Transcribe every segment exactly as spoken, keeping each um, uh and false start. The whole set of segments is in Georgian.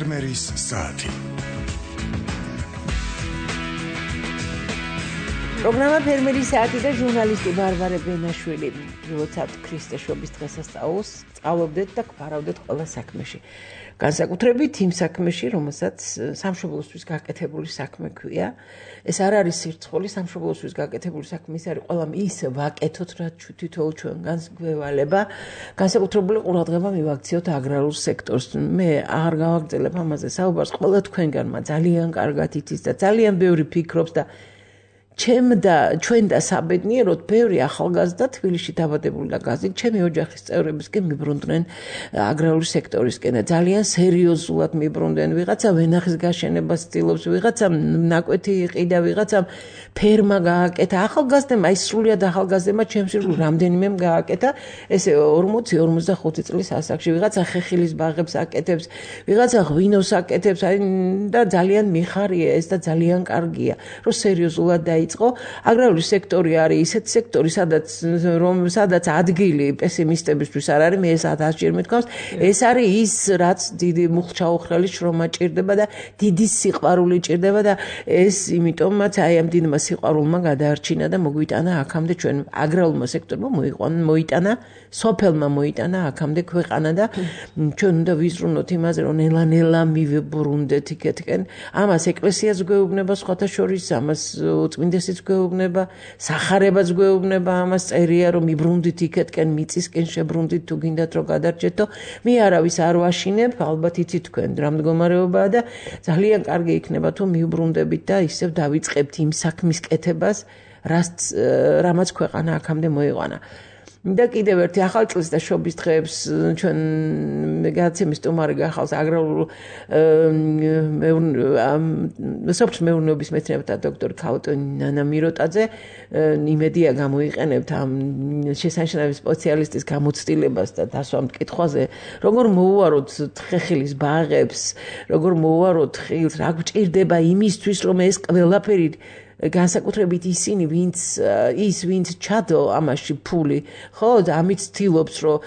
ფერმერის საათი. პროგრამა ფერმერის საათი და ჟურნალისტი ბარბარე ბენაშვილი მივოცავთ ქრისტეშობის დღესასწაულს, სწავლობდეთ და გვარავდეთ ყველა საქმეში. განსაკუთრებით იმ საქმეში, რომელსაც სამშობლოსთვის გაკეთებული საქმე ქვია. ეს არ არის სირცხული, სამშობლოსთვის გაკეთებული საქმე ის არის ყველამ ის ვაკეთოთ, რაც თითოეულ ჩვენგანს გვევალება. განსაკუთრებული ყურადღება მივაქციოთ აგრარულ სექტორს. მე არ გავაგრძელებ ამაზე საუბარს, ყველა თქვენგანმა ძალიან კარგად იცის და ძალიან ბევრი ფიქრობს და ჩემ და ჩვენ და საბედნიეროდ ბევრი ახალგაზრდა თბილისში დაბადებული და გაზრდილი ჩემი ოჯახის წევრებისკენ მიბრუნდნენ აგრარული სექტორისკენ და ძალიან სერიოზულად მიბრუნდნენ. ვიღაცა ვენახის გაშენებას ცდილობს, ვიღაცა ნაკვეთი იყიდა, ვიღაცა ფერმა გააკეთა. ახალგაზრდებმა, ის სრულიად ახალგაზრდებმა ჩემს ირგვლივ რამდენიმემ გააკეთა ესე ორმოცი ორმოცდახუთი წლის ასაკში. ვიღაცა ხეხილის ბაღებს აკეთებს, ვიღაცა ღვინოს აკეთებს, აი და ძალიან მიხარია ეს და ძალიან კარგია, რომ სერიოზულად დაიწყო. აგრარული სექტორი არის ისეთი სექტორი, სადაც რომ სადაც ადგილი პესიმისტებისთვის არ არის, მე ეს ათასჯერ მithქვამს, ეს არის ის, რაც დიდი მუხჩაუხრელი შრომა ჭირდება და დიდი სიყვარული ჭირდება და ეს იმიტომაც აი ამ დიდმა სიყვარულმა გადაარჩინა და მოგვიტანა აქამდე ჩვენ აგრარულმა სექტორმა მოიტანა, სოფელმა მოიტანა აქამდე ქვეყანა და ჩვენ უნდა ვიზრუნოთ იმაზე, რომ ნელა-ნელა მივიბრუნდეთ იქეთკენ. ამას ეკლესიაც გვეუბნება სხვათა შორის, ამას უწმინდესიც გვეუბნება, სახარებაც გვეუბნება, ამას წერია, რომ მიბრუნდით იქეთკენ, მიწისკენ შებრუნდით თუ გინდათ რომ გადარჩეთო. მე არავის არ ვაშინებ, ალბათ იცით თქვენ რა მდგომარეობაა და ძალიან კარგი იქნება თუ მივბრუნდებით და ისევ დავიწყებთ იმ საქმის კეთებას, რაც რამაც ქვეყანა აქამდე მოიყვანა. და კიდევ ერთი ახალ წლის და შობის დღეებს ჩვენ გადაცემის სტუმარი გახავს აგრარულ სოფლის მეურნეობის მეცნიერებათა დოქტორი ქაუტონი ნანა მიროტაძე. იმედია გამოიყენებთ ამ შესანიშნავი სპეციალისტის გამოცდილებას და დასვა მკითხვაზე, როგორ მოუაროთ ხეხილის ბაღებს, როგორ მოუაროთ ხილს, რა გვჭირდება იმისთვის, რომ ეს ყველაფერი განსაკუთრებით ისინი, ვინც ის ვინც ჩადო ამაში ფული, ხო, ამით ცდილობს, რომ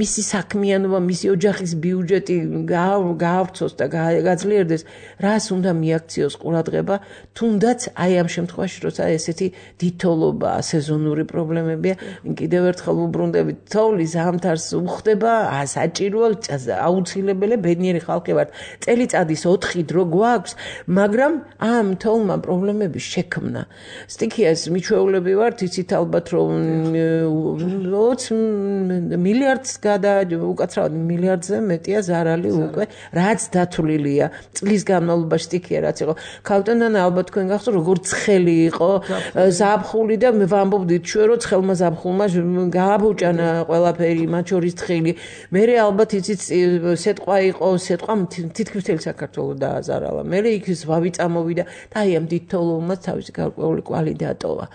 მისი საქმიანობა, მისი ოჯახის ბიუჯეტი გაავრცოს და გაძლიერდეს, რას უნდა მიაქციოს ყურადღება, თუნდაც აი ამ შემთხვევაში, როცა ესეთი დიდთოვლობა, სეზონური პრობლემებია, კიდევ ერთხელ ვუბრუნდებით, თოვლის ზამთარს უხდება, საჭიროა, აუცილებელი, ბედნიერი ხალხი ვართ. წელიწადის ოთხი დრო გვაქვს, მაგრამ ამ თოვლმა პრობლემები შექმნა. სტიქიას მიჩვეულები ვართ, იცით ალბათ, რომ ოცი მილიარდს გადა, უკაცრავად მილიარდზე მეტია ზარალი უკვე, რაც დათვლილია. წლის განმავლობაში სტიქია რაც იყო. ქავტონანა ალბათ თქვენ გახსოვთ, როგორ ცხელი იყო ზაფხული და მე ვამბობდით ჩვენ, რომ ცხელმა ზაფხულმა გააბუჭანა ყველაფერი, მათ შორის ცხელი. მერე ალბათ იცით სეტყვა იყო, სეტყვა თითქმის მთელი საქართველო დააზარალა. მერე იქ ზვავი წამოვიდა და აი ამ დიდ თოვლმა თავისი გარკვეული კვალი დატოვა.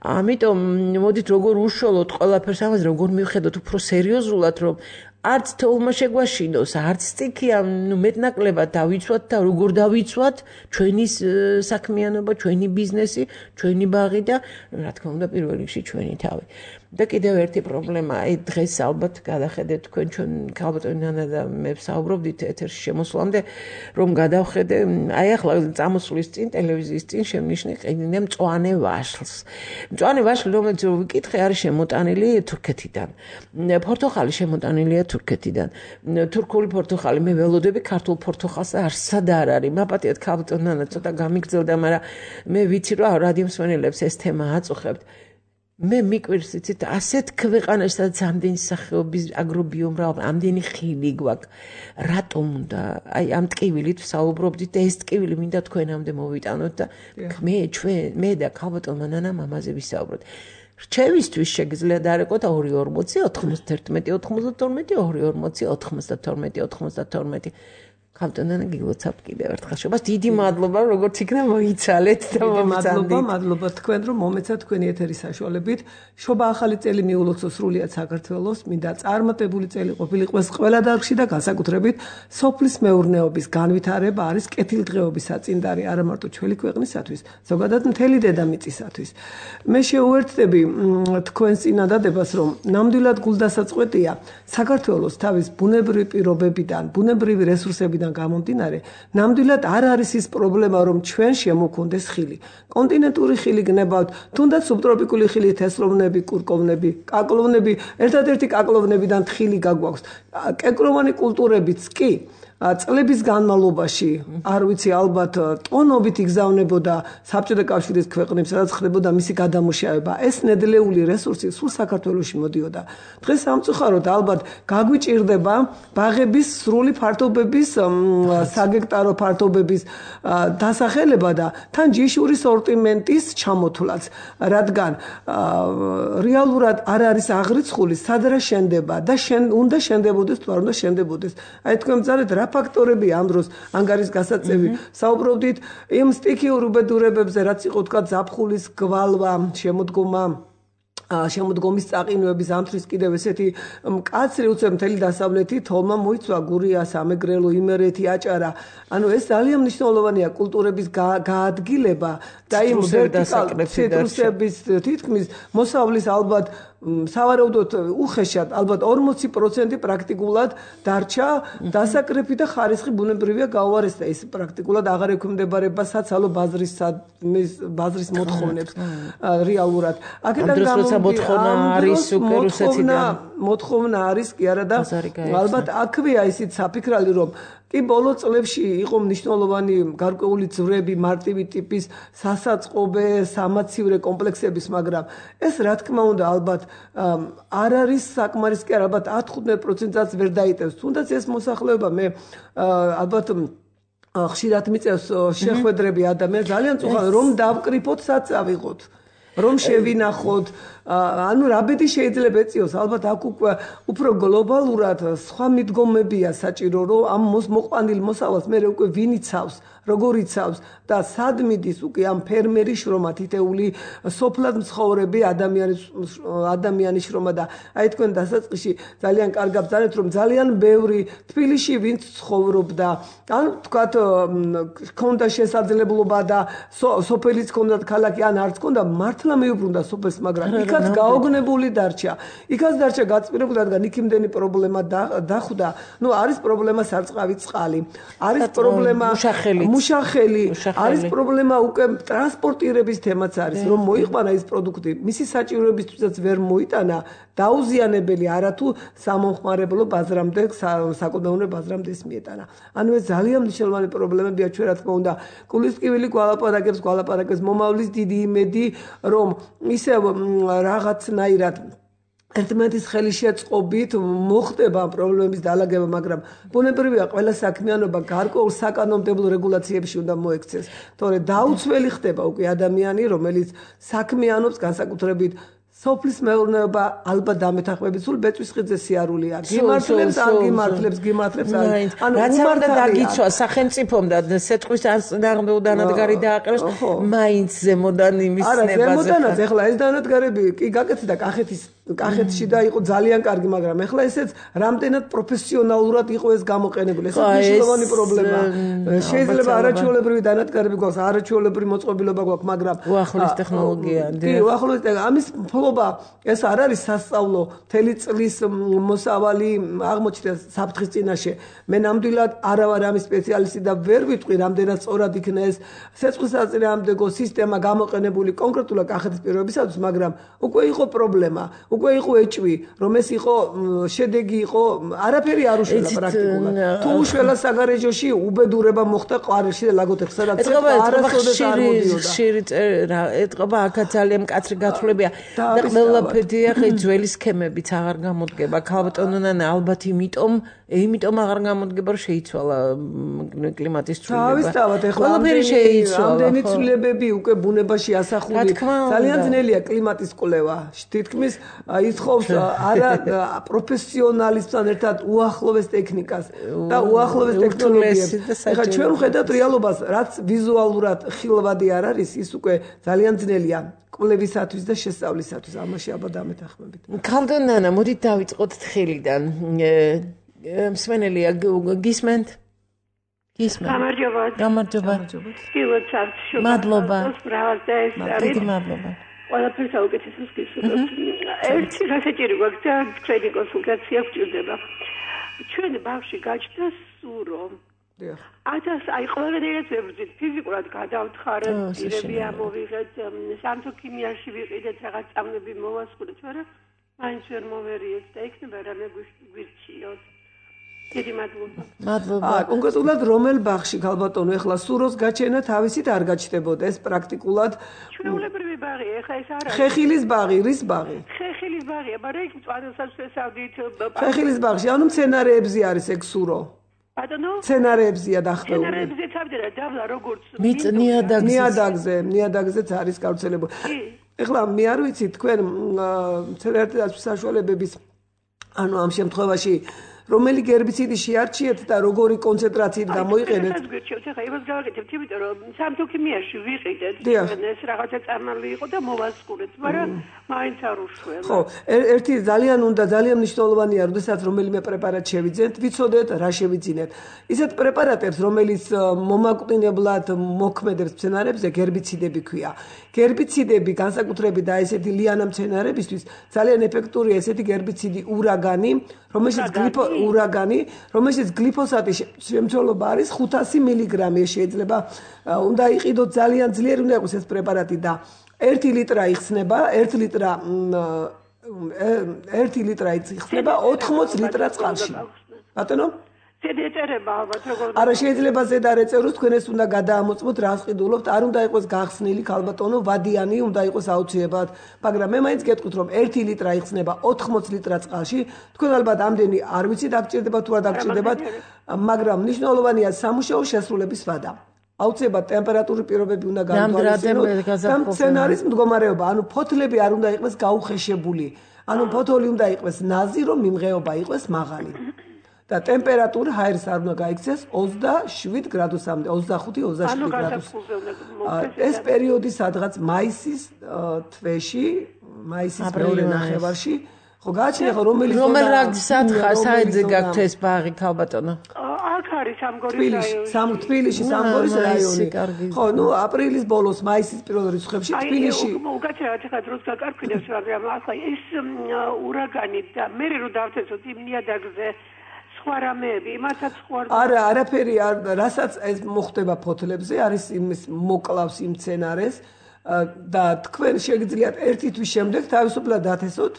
ამიტომ მოდით როგორ უშუალოდ ყველაფერს ამაზე როგორ მივხედოთ უფრო სერიოზულად, რომ არც თოვლმა შეგვაშინოს, არც სტიქია, ნუ მეტნაკლებად დავიცვათ და როგორ დავიცვათ ჩვენი საქმიანობა, ჩვენი ბიზნესი, ჩვენი ბაღი და რა თქმა უნდა პირველ რიგში ჩვენი თავი. და კიდევ ერთი პრობლემა, აი დღეს ალბათ გადახედეთ თქვენ ჩვენ ქალბატონი ნანა და მე ვსაუბრობდით ეთერში შემოსვლამდე, რომ გადავხედე, აი ახლა წამოსვლის წინ ტელევიზიის წინ შემნიშნე ყიდინე მწვანე ვაშლს. მწვანე ვაშლი, რომელიც ვიკითხე, არის შემოტანილი თურქეთიდან. პორტოხალი შემოტანილია თურქეთიდან. თურქული პორტოხალი მე ველოდები, ქართულ პორტოხალს არსად არ არის. მაპატიეთ ქალბატონი ნანა ცოტა გამიგრძელდა, მაგრამ მე ვიცი რომ რადიო მსმენელებს ეს თემა აწუხებთ. მე მიკვირს იცით ასეთ ქვეყანაში, სადაც ამდენი სახეობის აგრობიომრავალი, ამდენი ხილი გვაქვს. რატომ უნდა აი ამ ტკივილით ვსაუბრობდით და ეს ტკივილი მინდა თქვენამდე მოვიტანოთ და მე ჩვენ მე და ქალბატონმა ნანამ ამაზე ვისაუბროთ. რჩევისთვის შეგიძლიათ არეკოთ ორი ორმოცი ოთხმოცდაერთმეტი ოთხმოცდათორმეტი ორი ორმოცი ოთხმოცდათორმეტი ოთხმოცდათორმეტი. ქავტონანა გილოცავთ კიდევ ერთხელ შობას. დიდი მადლობა, როგორც იქნა მოიცალეთ და მომწანდით. მადლობა, მადლობა თქვენ, რომ მომეცათ თქვენი ეთერის საშუალებით. შობა ახალი წელი მიულოცო სრულიად საქართველოს, მინდა წარმატებული წელი ყოფილიყო ყველა დარგში და განსაკუთრებით სოფლის მეურნეობის განვითარება არის კეთილდღეობის საწინდარი არა მარტო ჩვენი ქვეყნისათვის, ზოგადად მთელი დედამიწისათვის. მე შეუერთდები თქვენს წინადადებას, რომ ნამდვილად გულდასაწყვეტია საქართველოს თავის ბუნებრივი პირობებიდან, ბუნებრივი რესურსებიდან პრობლემებიდან გამომდინარე, ნამდვილად არ არის ის პრობლემა, რომ ჩვენ შემოგვქონდეს ხილი. კონტინენტური ხილი გნებავთ, თუნდაც სუბტროპიკული ხილი, თესლოვნები, კურკოვნები, კაკლოვნები, ერთადერთი კაკლოვნებიდან ხილი გაგვაქვს. კენკროვანი კულტურებიც კი წლების განმავლობაში, არ ვიცი, ალბათ ტონობით იგზავნებოდა საბჭოთა კავშირის ქვეყნებს, სადაც ხდებოდა მისი გადამუშავება. ეს ნედლეული რესურსი სულ საქართველოში მოდიოდა. დღეს სამწუხაროდ ალბათ გაგვიჭირდება ბაღების სრული ფართობების, საგექტარო ფართობების დასახელება და თან ჯიშური სორტიმენტის ჩამოთვლაც, რადგან რეალურად არ არის აღრიცხული, სად რა შენდება და უნდა შენდებოდეს თუ არ უნდა შენდებოდეს. აი თქვენ მძარეთ რა ფაქტორები ამ დროს ანგარის გასაწევი საუბრობდით იმ სტიქიურ უბედურებებზე, რაც იყო თქვა ზაფხულის გვალვა, შემოდგომა შემოდგომის წაყინვების ამთრის კიდევ ესეთი მკაცრი უცებ მთელი დასავლეთი თოლმა მოიცვა გურია, სამეგრელო, იმერეთი, აჭარა. ანუ ეს ძალიან მნიშვნელოვანია კულტურების გაადგილება და იმ ციტრუსების თითქმის მოსავლის ალბათ სავარაუდოდ უხეშად ალბათ ორმოცი პროცენტი პრაქტიკულად დარჩა დასაკრეფი და ხარისხი ბუნებრივია გაუარესდა. ეს პრაქტიკულად აღარ ექვემდებარება საცალო ბაზრის ბაზრის მოთხოვნებს რეალურად. აქედან მოთხოვნა არის უკვე რუსეთიდან. მოთხოვნა არის კი არა და ალბათ აქვეა ისიც საფიქრალი, რომ კი ბოლო წლებში იყო მნიშვნელოვანი გარკვეული ძვრები, მარტივი ტიპის სასაწყობე, სამაცივრე კომპლექსების, მაგრამ ეს რა თქმა უნდა ალბათ არ არის საკმარის კი არა, ალბათ ათი პროცენტსაც ვერ დაიტევს. თუნდაც ეს მოსახლეობა მე ალბათ ხშირად მიწევს შეხვედრები ადამიანს, ძალიან წუხავენ, რომ დავკრიფოთ, სად წავიღოთ. რომ შევინახოთ, ანუ რა ბედი შეიძლება ეწიოს, ალბათ აქ უკვე უფრო გლობალურად სხვა მიდგომებია საჭირო, რომ ამ მოყვანილ მოსავალს მე უკვე ვინ იცავს, როგორ იცავს და სად მიდის უკვე ამ ფერმერის შრომა, თითეული სოფლად მცხოვრები ადამიანის ადამიანის შრომა და აი თქვენ დასაწყისში ძალიან კარგად ბრძანეთ, რომ ძალიან ბევრი თბილისში ვინც ცხოვრობდა, ან თქვათ ქონდა შესაძლებლობა და სოფელიც ქონდათ ქალაქი, ან არც ქონდა, მართლა მეუბრუნდა სოფელს, მაგრამ იქაც გაოგნებული დარჩა. იქაც დარჩა გაწმირებული, რადგან იქ იმდენი პრობლემა დახვდა. ნუ არის პრობლემა სარწყავი წყალი, არის პრობლემა მუშახელი, არის პრობლემა უკვე ტრანსპორტირების თემაც არის, რომ მოიყვანა ის პროდუქტი, მისი საჭიროებისთვისაც ვერ მოიტანა, დაუზიანებელი არათუ სამომხმარებლო ბაზრამდე, საკუთმეურნეო ბაზრამდე ეს მიეტანა. ანუ ეს ძალიან მნიშვნელოვანი პრობლემებია, ჩვენ რა თქმა უნდა, კულისკივილი გვალაპარაკებს, გვალაპარაკებს მომავლის დიდი იმედი, რომ ისევ რაღაცნაირად ერთმანეთის ხელშეწყობით მოხდება პრობლემების დაალაგება, მაგრამ ბუნებრივია ყველა საქმიანობა გარკვეულ საკანონმდებლო რეგულაციებში უნდა მოექცეს. თორე დაუცველი ხდება უკვე ადამიანი, რომელიც საქმიანობს განსაკუთრებით სოფლის მეურნეობა ალბათ დამეთანხმებით სულ ბეწვისხიძე სიარულია. გიმართლებს, არ გიმართლებს, გიმართლებს, არ. ანუ რაც უნდა დაგიცვა სახელმწიფომ და სეტყვის დანადგარი დააყენოს, მაინც ზემოდან იმის ნებაზე. არა, ზემოდანაც ეხლა ეს დანადგარები კი გაკეთდა კახეთის კახეთში და იყო ძალიან კარგი, მაგრამ ეხლა ესეც რამდენად პროფესიონალურად იყო ეს გამოყენებული. ეს მნიშვნელოვანი პრობლემა. შეიძლება არაჩვეულებრივი დანადგარები გვაქვს, არაჩვეულებრივი მოწყობილობა გვაქვს, მაგრამ უახლოეს ტექნოლოგია. კი, უახლოეს ამის ფლობა ეს არ არის სასწავლო მთელი წლის მოსავალი აღმოჩნდა საფრთხის წინაშე. მე ნამდვილად არა ვარ ამის სპეციალისტი და ვერ ვიტყვი, რამდენად სწორად იქნა ეს სეცხვის საწინააღმდეგო სისტემა გამოყენებული კონკრეტულად კახეთის პირობისათვის, მაგრამ უკვე იყო პრობლემა. უკვე იყო ეჭვი, რომ ეს იყო შედეგი იყო, არაფერი არ უშველა პრაქტიკულად. თუ უშველა საგარეჯოში უბედურება მოხდა ყვარეში და ლაგოდეხს, სადაც არასოდეს არ მოდიოდა. ხშირი ეტყობა აქაც ძალიან მკაცრი გათვლებია და ყველაფერია ხე ძველი სქემებიც აღარ გამოდგება. ქალბატონონა ალბათ იმიტომ, იმიტომ აღარ გამოდგება, რომ შეიცვალა კლიმატის ცვლილება. თავისთავად ეხლა ყველაფერი შეიცვალა. ამდენი ცვლილებები უკვე ბუნებაში ასახული. ძალიან ძნელია კლიმატის კვლევა. თითქმის ითხოვს არა პროფესიონალისთან ერთად უახლოვეს ტექნიკას და უახლოვეს ტექნოლოგიებს. ეხლა ჩვენ ვხედავთ რეალობას, რაც ვიზუალურად ხილვადი არ არის, ის უკვე ძალიან ძნელია კვლევისათვის და შესწავლისათვის. ამაში აბა დამეთანხმებით. ქალბატონანა, მოდით დავიწყოთ თხილიდან. მსმენელია გისმენთ? გისმენთ. გამარჯობა. გამარჯობა. გილოცავთ შუბა. მადლობა. ბრავალდა ეს არის. მადლობა. ყველაფერს აუკეთესებს გისურვებთ. ერთი გასაჭირო გვაქვს და თქვენი კონსულტაცია გვჭირდება. ჩვენ ბავშვი გაჩნდა სურო. დიახ. ათას აი ყველგანაც ვებრძვით ფიზიკურად გადავთხარეთ, პირები ამოვიღეთ, სამთო-ქიმიაში ვიყიდეთ, რაღაც წამები მოვასწრეთ, მაგრამ მაინც ვერ მოვერიეთ და იქნება რამე გვირჩიოთ. დიდი მადლობა. მადლობა. აა კონკრეტულად რომელ ბაღში ქალბატონო ეხლა სუროს გაჩენა თავისით არ გაჩნდებოდა ეს პრაქტიკულად ჩვეულებრივი ბაღი ეხლა ეს არა ხეხილის ბაღი რის ბაღი ხეხილის ბაღია მაგრამ იქ მწვანესაც შესავდით ხეხილის ბაღში ანუ მცენარეებზე არის ეგ სურო ბატონო მცენარეებზია დახვეული მცენარეებზე თავდება დავლა როგორც მიწნიადაგზე ნიადაგზე ნიადაგზეც არის გავრცელებული ეხლა მე არ ვიცი თქვენ მცენარეთა საშუალებების ანუ ამ შემთხვევაში რომელი გერბიციდი შეარჩიეთ და როგორი კონცენტრაციით გამოიყენეთ? ეს გირჩევთ, ახლა იმას გავაკეთებთ, იმიტომ რომ სამთო-ქიმიაში ვიყიდეთ, ეს რაღაცა წარმალი იყო და მოვასწრეთ, მაგრამ მაინც არ უშველა. ხო, ერთი ძალიან უნდა ძალიან მნიშვნელოვანია, როდესაც რომელიმე პრეპარატ შევიძინეთ, ვიცოდეთ რა შევიძინეთ. ისეთ პრეპარატებს, რომელიც მომაკვდინებლად მოქმედებს მცენარეებზე, გერბიციდები ქვია. გერბიციდები განსაკუთრებით და ესეთი ლიანა მცენარეებისთვის ძალიან ეფექტურია ესეთი გერბიციდი ურაგანი, რომელშიც გლიფო ურაგანი, რომელშიც გლიფოსატის შემცველობა არის ხუთასი მილიგრამი, შეიძლება უნდა იყიდოთ ძალიან ძლიერი უნდა იყოს ეს პრეპარატი და ერთი ლიტრა იხსნება, ერთი ლიტრა ერთი ლიტრა იხსნება ოთხმოც ლიტრა წყალში. ბატონო? ზედაეწერება ალბათ როგორ არა შეიძლება ზედაეწეროს თქვენ ეს უნდა გადაამოწმოთ რას ყიდულობთ არ უნდა იყოს გახსნილი ქალბატონო ვადიანი უნდა იყოს აუცილებლად მაგრამ მე მაინც გეტყვით რომ ერთი ლიტრა იხსნება ოთხმოც ლიტრა წყალში თქვენ ალბათ ამდენი არ ვიცით დაგჭირდებათ თუ არ დაგჭირდებათ მაგრამ მნიშვნელოვანია სამუშაო შესრულების ვადა აუცილებლად ტემპერატურის პირობები უნდა განვითარდეს და მცენარის მდგომარეობა ანუ ფოთლები არ უნდა იყოს გაუხეშებული ანუ ფოთოლი უნდა იყოს ნაზი რომ მიმღეობა იყოს მაღალი და ტემპერატურა ჰაერის არ უნდა გაიქცეს ოცდაშვიდ გრადუსამდე, ოცდახუთი ოცდაშვიდი გრადუსი. ეს პერიოდი სადღაც მაისის თვეში, მაისის მეორე ნახევარში, ხო გააჩნია ხო რომელი რომელ სათხარ საერთზე გაქვთ ეს ბაღი ქალბატონო? აქ არის სამგორის რაიონი. სამ თბილისში სამგორის რაიონი. ხო, ნუ აპრილის ბოლოს, მაისის პირველ რიცხვებში თბილისში. უკაცრავად ხა დროს გაკარკვინებს, მაგრამ ახლა ეს ურაგანი და მე რო დავთესოთ იმ ნიადაგზე ხوارამეები, მათაც ხوار. არა, არაფერი არ, რასაც ეს მოხდება ფოთლებზე, არის იმის მოკლავს იმ მცენარეს და თქვენ შეგიძლიათ ერთი თვის შემდეგ თავისუფლად დათესოთ.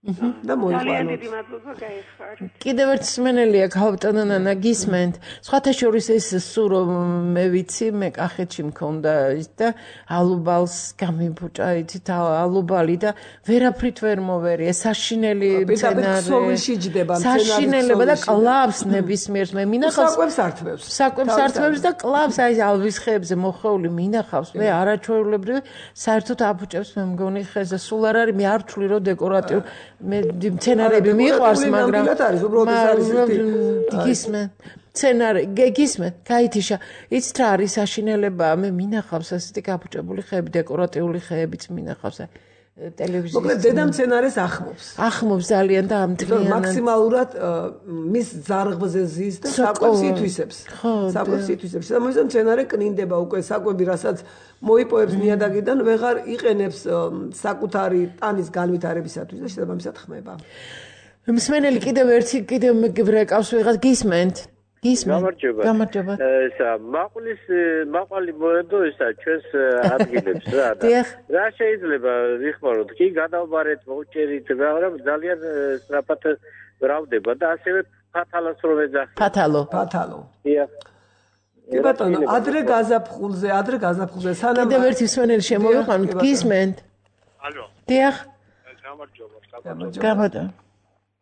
და მოიყვანოთ. კიდევ ერთ სმენელია ქალბატონო ნანა გისმენთ. სხვათა შორის ეს სურო მე ვიცი, მე კახეთში მქონდა ის და ალუბალს გამიბუჭა იცით ალუბალი და ვერაფრით ვერ მოვერი. ეს საშინელი მცენარე. საშინელება და კლავს ნებისმიერს მე მინახავს. საკვებს ართმევს. საკვებს ართმევს და კლავს აი ალვის ხეებზე მოხეული მინახავს. მე არაჩვეულებრივი საერთოდ აბუჭებს მე მგონი ხეზე სულ არ არის მე არ ვთვლი რომ დეკორატიულ მე მცენარეები მიყვარს მაგრამ გისმენ მცენარე გისმენ გაითიშა იცით რა არის საშინელება მე მინახავს ასეთი გაბუჭებული ხეები დეკორატიული ხეებიც მინახავს ტელევიზიაში მოკლედ დედა მცენარეს ახმობს ახმობს ძალიან და ამტკნიანად მაქსიმალურად მის ზარღვზე ზის და საკვებს ითვისებს საკვებს ითვისებს და მოიცა მცენარე კნინდება უკვე საკვები რასაც მოიპოვებს ნიადაგიდან ვეღარ იყენებს საკუთარი ტანის განვითარებისათვის და შესაბამისად ხმება მსმენელი კიდევ ერთი კიდევ მეკავს ვიღაც გისმენთ გამარჯობა. გამარჯობა. ესა მაყulis მაყალი მოედო ესა ჩვენს ადგილებს რა და რა შეიძლება ვიხმაროთ კი გადავბარეთ მოუჭერით მაგრამ ძალიან სწრაფად გრავდება და ასევე ფათალოს რომ ეძახი. ფათალო. ფათალო. დიახ. კი ბატონო, ადრე გაზაფხულზე, ადრე გაზაფხულზე სანამ კიდევ ერთი მსმენელი შემოვიყვანოთ გისმენთ. ალო. დიახ. გამარჯობა. გამარჯობა.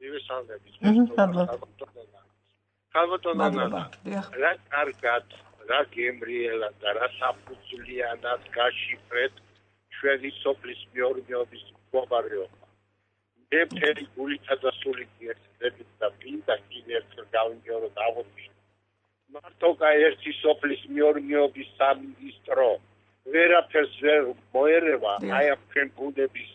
ივესალდები. მადლობა. ქალბატონო ნანა, რა კარგად, რა გემრიელა და რა საფუძვლიანად გაშიფრეთ ჩვენი სოფლის მეურნეობის მდგომარეობა. მე მთელი გულითა და სულით ერთდებით და მინდა კიდევ ერთხელ გავიმეოროთ აღოთში. მარტო ერთი სოფლის მეურნეობის სამინისტრო ვერაფერს ვერ მოერევა აი ამ ჩვენ გუნდების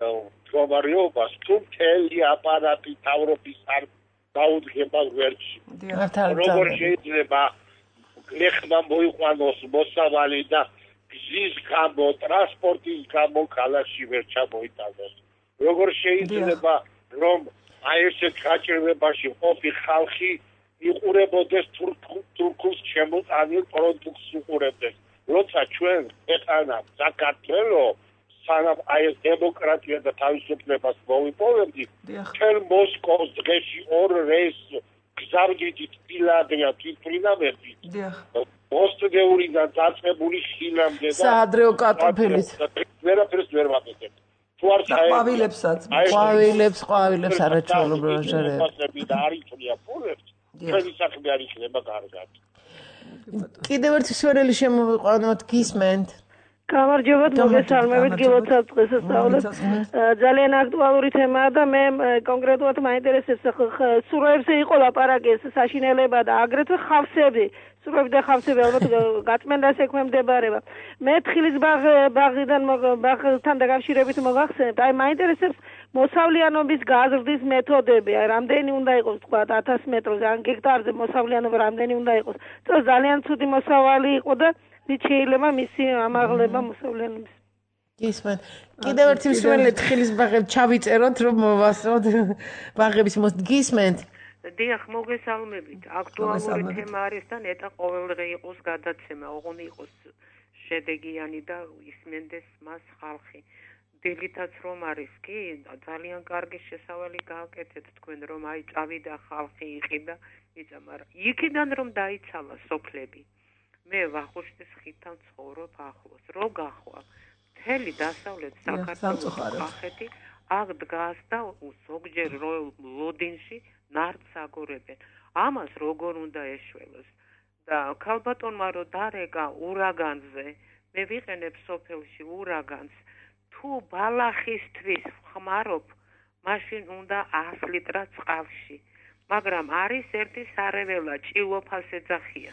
მდგომარეობას თუ მთელი აპარატი თავრობის არ დაუდგება გვერდში. როგორ შეიძლება ლეხმა მოიყვანოს მოსავალი და გზის გამო, ტრანსპორტის გამო ქალაქში ვერ ჩამოიტანოს. როგორ შეიძლება რომ აი ესეთ გაჭირვებაში ყოფი ხალხი იყურებოდეს თურქულს შემოწანილ პროდუქტს უყურებდეს. როცა ჩვენ ეტანა საქართველოს სანამ აი ეს დემოკრატია და თავისუფლებას მოვიპოვებდით, ჩვენ მოსკოვს დღეში ორ რეისს გზავრდით ფილადრია თვითმფრინავებით. მოსტდეურიდან დაწყებული ხილამდე და საადრეო კარტოფილიც. ვერაფერს ვერ ვაკეთებ. თუ არ ყვავილებსაც, ყვავილებს, ყვავილებს არაჩვეულებრივ ჟერები და არ იწვია ფულებს, ჩვენი საქმე არ იქნება კარგად. კიდევ ერთი სვერელი შემოვიყვანოთ, გისმენთ. გამარჯობათ, მოგესალმებით, გილოცავ-წყლის სასწაულებს. ძალიან აქტუალური თემაა და მე კონკრეტულად მაინტერესებს სუროებზე იყო ლაპარაკი ეს საშინელება და აგრეთვე ხავსები. სუროები და ხავსები ალბათ გაწმენდას ექვემდებარება. მე თხილის ბაღიდან ბაღთან დაკავშირებით მოგახსენებთ. აი მაინტერესებს მოსავლიანობის გაზრდის მეთოდები. აი რამდენი უნდა იყოს თქვა ათას მეტრზე ან გექტარზე მოსავლიანობა რამდენი უნდა იყოს. წელს ძალიან ცუდი მოსავალი იყო და ვით შეიძლება მისი ამაღლება მოსავლიანობის. გისმენთ. კიდევ ერთი მსმენელი თხილის ბაღებს ჩავიწეროთ რომ მოვასწროთ ბაღების მოსთ გისმენთ. დიახ, მოგესალმებით. აქტუალური თემა არის და ნეტა ყოველდღე იყოს გადაცემა, ოღონდ იყოს შედეგიანი და ისმენდეს მას ხალხი. დილითაც რომ არის კი, ძალიან კარგი შესავალი გააკეთეთ თქვენ რომ აი წავიდა ხალხი იყიდა, იცი, მაგრამ იქიდან რომ დაიცალა სოფლები. მე ვახუშტის ხიდთან ცხოვრობ ახლოს. რო გახვალ, მთელი დასავლეთ საქართველოს კახეთი აქ დგას და ზოგჯერ ლოდინში ნარდს აგორებენ. ამას როგორ უნდა ეშველოს? და ქალბატონმა რო დარეკა ურაგანზე, მე ვიყენებ სოფელში ურაგანს. თუ ბალახისთვის ხმარობ, მაშინ უნდა ას ლიტრად წყალში. მაგრამ არის ერთი სარეველა ჭილოფას ეძახია.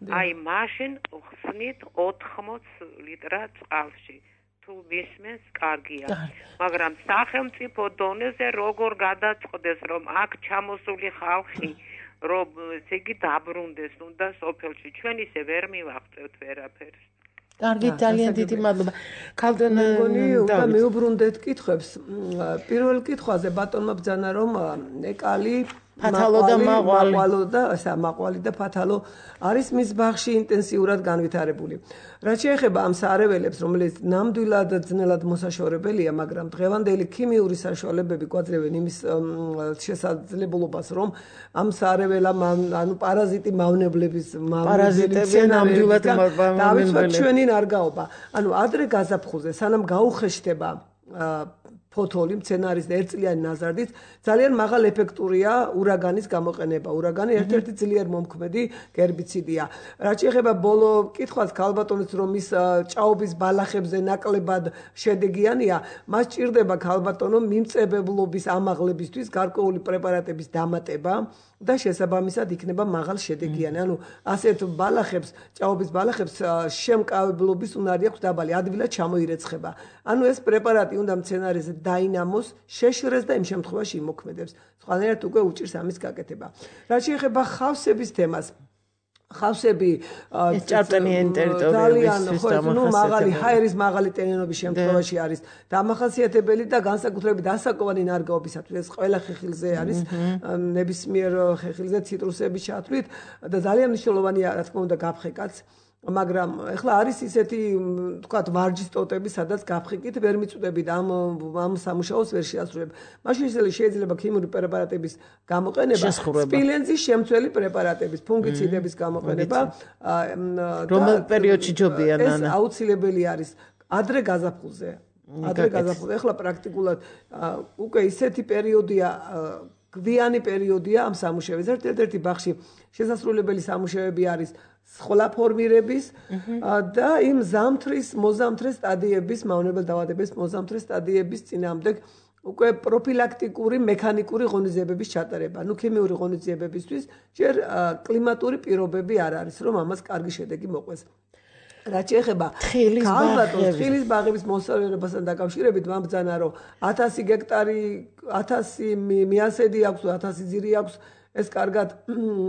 აი მაშინ ხსნით ოთხმოც ლიტრად წყალში. თუ მისმენს კარგია. მაგრამ სახელმწიფო დონეზე როგორ გადაწყდეს რომ აქ ჩამოსული ხალხი რომ ესე იგი დაბრუნდეს უნდა სოფელში. ჩვენ ისე ვერ მივაღწევთ ვერაფერს. კარგი, ძალიან დიდი მადლობა. ქალბატონ და მეუბრუნდეთ კითხვებს. პირველ კითხვაზე ბატონმა ბძანა რომ ეკალი ფათალო და მაყვალი. მაყვალო და ესა მაყვალი და ფათალო არის მის ბაღში ინტენსიურად განვითარებული. რაც შეეხება ამ სარეველებს, რომელიც ნამდვილად ძნელად მოსაშორებელია, მაგრამ დღევანდელი ქიმიური საშუალებები გვაძლევენ იმის შესაძლებლობას, რომ ამ სარეველა ანუ პარაზიტი მავნებლების პარაზიტები ნამდვილად დავიცვათ ჩვენი ნარგაობა. ანუ ადრე გაზაფხულზე, სანამ გაუხეშთება ფოთოლი მცენარის ერთწლიანი ნაზარდით ძალიან მაღალ ეფექტურია ურაგანის გამოყენება. ურაგანი ერთ-ერთი ძლიერ მომქმედი გერბიციდია. რაც შეეხება ბოლო კითხვას ქალბატონის რომ ის ჭაობის ბალახებზე ნაკლებად შედეგიანია, მას ჭირდება ქალბატონო მიმწებებლობის ამაღლებისთვის გარკვეული პრეპარატების დამატება და შესაბამისად იქნება მაღალ შედეგიანი. ანუ ასეთ ბალახებს, ჭაობის ბალახებს შემკავებლობის უნარი აქვს დაბალი, ადვილად ჩამოირეცხება. ანუ ეს პრეპარატი უნდა მცენარეზე დაინამოს, შეშრეს და იმ შემთხვევაში იმოქმედებს. სხვანაირად უკვე უჭირს ამის გაკეთება. რაც შეეხება ხავსების თემას, ხავსები ჭარბტენიანი ტერიტორიებისთვის ნუ მაღალი ჰაერის მაღალი ტენიანობის შემთხვევაში არის დამახასიათებელი და განსაკუთრებით ასაკოვანი ნარგაობისათვის ეს ყველა ხეხილზე არის ნებისმიერ ხეხილზე ციტრუსების ჩათვლით და ძალიან მნიშვნელოვანია რა თქმა უნდა გაფხეკაც. მაგრამ ეხლა არის ისეთი თქვათ ვარჯის ტოტები, სადაც გაფხიკით ვერ მიწვდებით ამ ამ სამუშაოს ვერ შეასრულებ. მაშინ შეიძლება ქიმიური პრეპარატების გამოყენება, სპილენძის შემცველი პრეპარატების, ფუნგიციდების გამოყენება, რომელ პერიოდში ჯობია ნანა? ეს აუცილებელი არის ადრე გაზაფხულზე. ადრე გაზაფხულზე. ეხლა პრაქტიკულად უკვე ისეთი პერიოდია გვიანი პერიოდია ამ სამუშაოების. ერთ-ერთი ბაღში შესასრულებელი სამუშაოები არის სხლა ფორმირების და იმ ზამთრის მოზამთრე სტადიების, მავნებელ დაავადების მოზამთრე სტადიების წინააღმდეგ უკვე პროფილაქტიკური მექანიკური ღონისძიებების ჩატარება. ნუ ქიმიური ღონისძიებებისთვის ჯერ კლიმატური პირობები არ არის, რომ ამას კარგი შედეგი მოყვეს. რაც შეეხება ქალბატონს თხილის ბაღების მოსავლიანობასთან დაკავშირებით, მან ბძანა რომ ათასი გექტარი, ათასი მიასედი აქვს, ათასი ძირი აქვს. ეს კარგად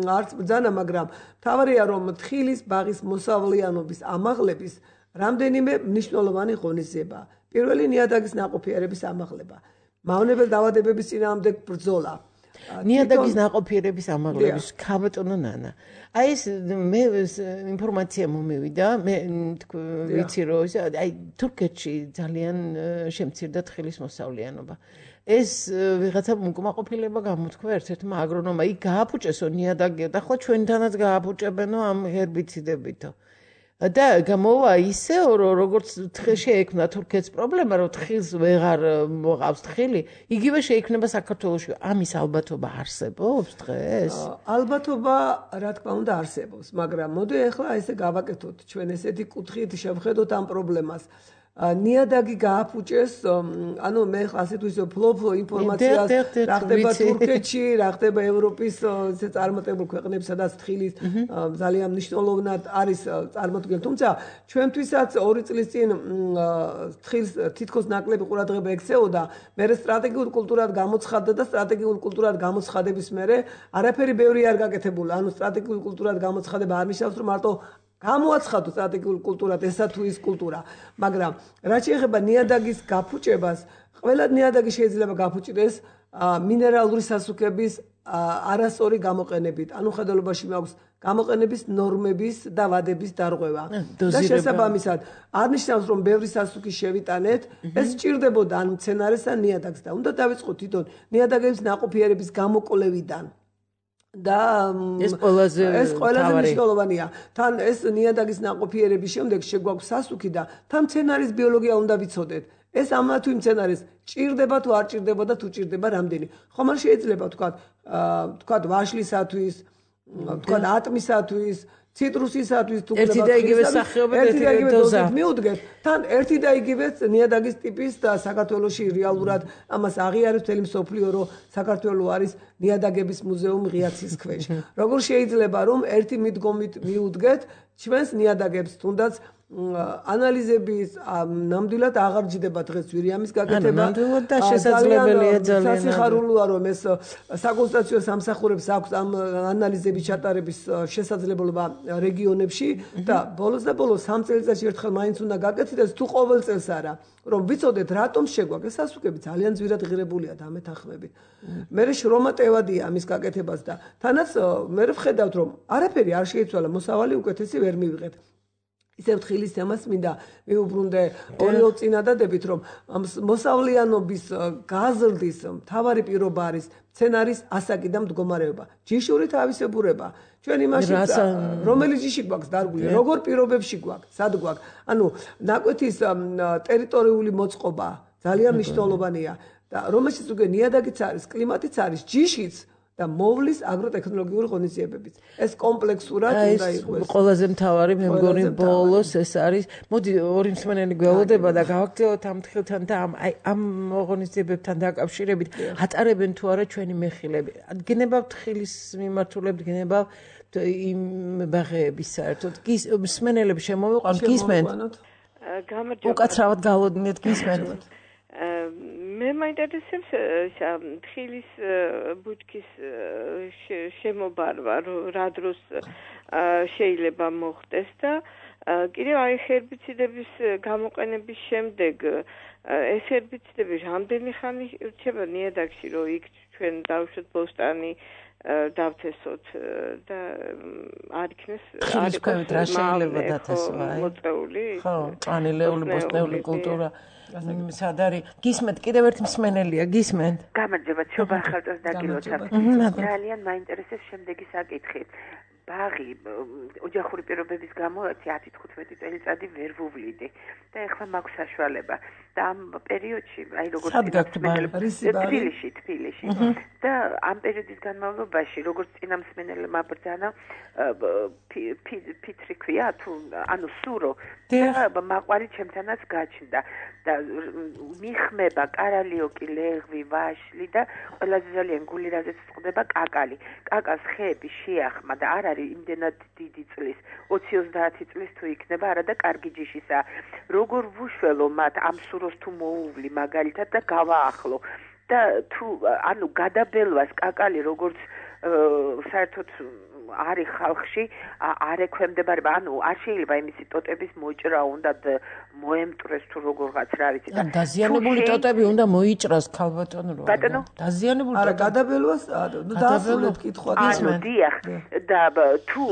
არც ბძანა, მაგრამ თავარია რომ თხილის ბაღის მოსავლიანობის ამაღლების რამდენიმე მნიშვნელოვანი ღონისძიება. პირველი ნიადაგის ნაყოფიერების ამაღლება, მავნებელ დაავადებების წინააღმდეგ ბრძოლა, ნიადაგის ნაყოფიერების ამაღლების ქაბატონო ნანა. აი ეს მე ინფორმაცია მომევიდა, მე ვიცი რომ აი თურქეთში ძალიან შემცირდა თხილის მოსავლიანობა. ეს ვიღაცა უკმაყოფილება გამოთქვა ერთ-ერთმა აგრონომმა, იქ გააფუჭესო ნიადაგი და ხო ჩვენთანაც გააფუჭებენო ამ ჰერბიციდებითო. და გამოვა ისეო რომ როგორც შეექმნა თურქეთს პრობლემა რომ თხილს ვეღარ მოყავს თხილი იგივე შეექმნება საქართველოში ამის ალბათობა არსებობს დღეს ალბათობა რა თქმა უნდა არსებობს მაგრამ მოდი ახლა ესე გავაკეთოთ ჩვენ ესეთი კუთხით შევხედოთ ამ პრობლემას ნიადაგი გააფუჭეს ანუ მე ხა ასეთ ვისო ფლობ ინფორმაციას რა ხდება თურქეთში რა ხდება ევროპის ესე წარმატებულ ქვეყნებში სადაც თხილის ძალიან მნიშვნელოვნად არის წარმოდგენილი თუმცა ჩვენთვისაც ორი წლის წინ თხილს თითქოს ნაკლები ყურადღება ექცეოდა მე სტრატეგიულ კულტურად გამოცხადდა და სტრატეგიულ კულტურად გამოცხადების მერე არაფერი ბევრი არ გაკეთებულა ანუ სტრატეგიულ კულტურად გამოცხადება არ ნიშნავს რომ მარტო გამოაცხადო სტრატეგიულ კულტურად ესა თუ ის კულტურა მაგრამ რაც შეეხება ნიადაგის გაფუჭებას ყველა ნიადაგი შეიძლება გაფუჭდეს მინერალური სასუქების არასწორი გამოყენებით ანუ ხედელობაში მაქვს გამოყენების ნორმების და ვადების დარღვევა და შესაბამისად არნიშნავს რომ ბევრი სასუქი შევიტანეთ ეს სჭირდებოდა ან მცენარეს ან ნიადაგს და უნდა დავიწყოთ თვითონ ნიადაგების ნაყოფიერების გამოკვლევიდან და ეს ყველაზე ეს ყველაზე მნიშვნელოვანია. თან ეს ნიადაგის ნაყოფიერების შემდეგ შეგვაქვს სასუქი და თან მცენარის ბიოლოგია უნდა ვიცოდეთ. ეს ამა თუ მცენარის ჭირდება თუ არ ჭირდება და თუ ჭირდება რამდენი. ხომ არ შეიძლება თქვათ, თქვათ ვაშლისათვის, თქვათ ატმისათვის, ციტრუსისათვის თუ ერთი და იგივე სახეობა ერთი და იგივე დოზით მიუდგეთ. თან ერთი და იგივე ნიადაგის ტიპის და საქართველოში რეალურად ამას აღიარებს მთელი მსოფლიო რომ საქართველო არის ნიადაგების მუზეუმი ღიაცის ქვეშ. როგორ შეიძლება რომ ერთი მიდგომით მიუდგეთ ჩვენს ნიადაგებს თუნდაც ანალიზების ნამდვილად აღარ ჯდება დღეს ვირიამის გაკეთება. ნამდვილად და შესაძლებელია ძალიან. სასიხარულოა რომ ეს საკონსტიტუციო სამსახურებს აქვს ამ ანალიზების ჩატარების შესაძლებლობა რეგიონებში და ბოლოს და ბოლოს სამ წელიწადში ერთხელ მაინც უნდა გაკეთდეს თუ ყოველ წელს არა. რომ ვიცოდეთ რატომ შეგვაქვს სასუქები ძალიან ძვირად ღირებულია დამეთანხმებით. მე შრომა ტევადია ამის გაკეთებას და თანაც მე ვხედავთ რომ არაფერი არ შეიცვალა მოსავალი უკეთესი ვერ მივიღეთ. ისევ თხილის თემას მინდა მიუბრუნდე ორიო წინადადებით რომ მოსავლიანობის გაზრდის მთავარი პირობა არის მცენარის ასაკი და მდგომარეობა. ჯიშური თავისებურება ჩვენ იმაში რომელი ჯიში გვაქვს დარგული როგორ პირობებში გვაქვს სად გვაქვს ანუ ნაკვეთის ტერიტორიული მოწყობა ძალიან მნიშვნელოვანია და რომელშიც უკვე ნიადაგიც არის კლიმატიც არის ჯიშიც და მოვლის აგროტექნოლოგიური ღონისძიებებით. ეს კომპლექსურად უნდა იყოს. ყველაზე მთავარი მე მგონი ბოლოს ეს არის. მოდი ორი მსმენელი გველოდება და გავაქცევოთ ამ თხილთან და ამ აი ამ ღონისძიებებთან დაკავშირებით ატარებენ თუ არა ჩვენი მეხილები. გნებავთ თხილის მიმართულებით, გნებავთ იმ ბაღების საერთოდ. მსმენელები შემოვიყვანთ, გისმენთ? გამარჯობა. უკაცრავად გავლოდინეთ, გისმენთ? მე მაინტერესებს თხილის ბუჩქის შემობარვა რა დროს შეიძლება მოხდეს და კიდევ აი ჰერბიციდების გამოყენების შემდეგ ეს ჰერბიციდები რამდენი ხანი რჩება ნიადაგში რომ იქ ჩვენ დავუშვათ ბოსტანი დავთესოთ და არ იქნეს არ იქნეს რა შეიძლება დათესვა აი მოწეული ხო წანილეული ბოსტნეული კულტურა სად არის გისმენთ კიდევ ერთი მსმენელია გისმენთ გამარჯობა ჩობა ახალწელს დაგილოცავ ძალიან მაინტერესებს შემდეგი საკითხი ბაღი ოჯახური პირობების გამო ათი თხუთმეტი წელიწადი ვერ ვუვლიდი და ეხლა მაქვს საშუალება და ამ პერიოდში აი როგორც თბილისში თბილისში და ამ პერიოდის განმავლობაში როგორც წინამსმენელმა ბრძანა ფიტრი ქვია თუ ანუ სურო და მაყვარი ჩემთანაც გაჩნდა და მიხმება კარალიოკი ლეღვი ვაშლი და ყველაზე ძალიან გული რაზეც წყდება კაკალი კაკას ხეები შეახმა და არ არის იმდენად დიდი წლის ოცი ოცდაათი წლის თუ იქნება არა და კარგი ჯიშისა როგორ ვუშველო მათ ამ სუროს თუ მოუვლი მაგალითად და გავაახლო და თუ ანუ გადაბელვას კაკალი როგორც საერთოდ არის ხალხში არ ექვემდებარება, ანუ არ შეიძლება იმისი ტოტების მოჭრა უნდა მოემტრეს თუ როგორღაც რა ვიცი და დაზიანებული ტოტები უნდა მოიჭრას ქალბატონო რა. ბატონო დაზიანებული არა გადაბელვას ნუ დაასრულეთ კითხვა ანუ დიახ და თუ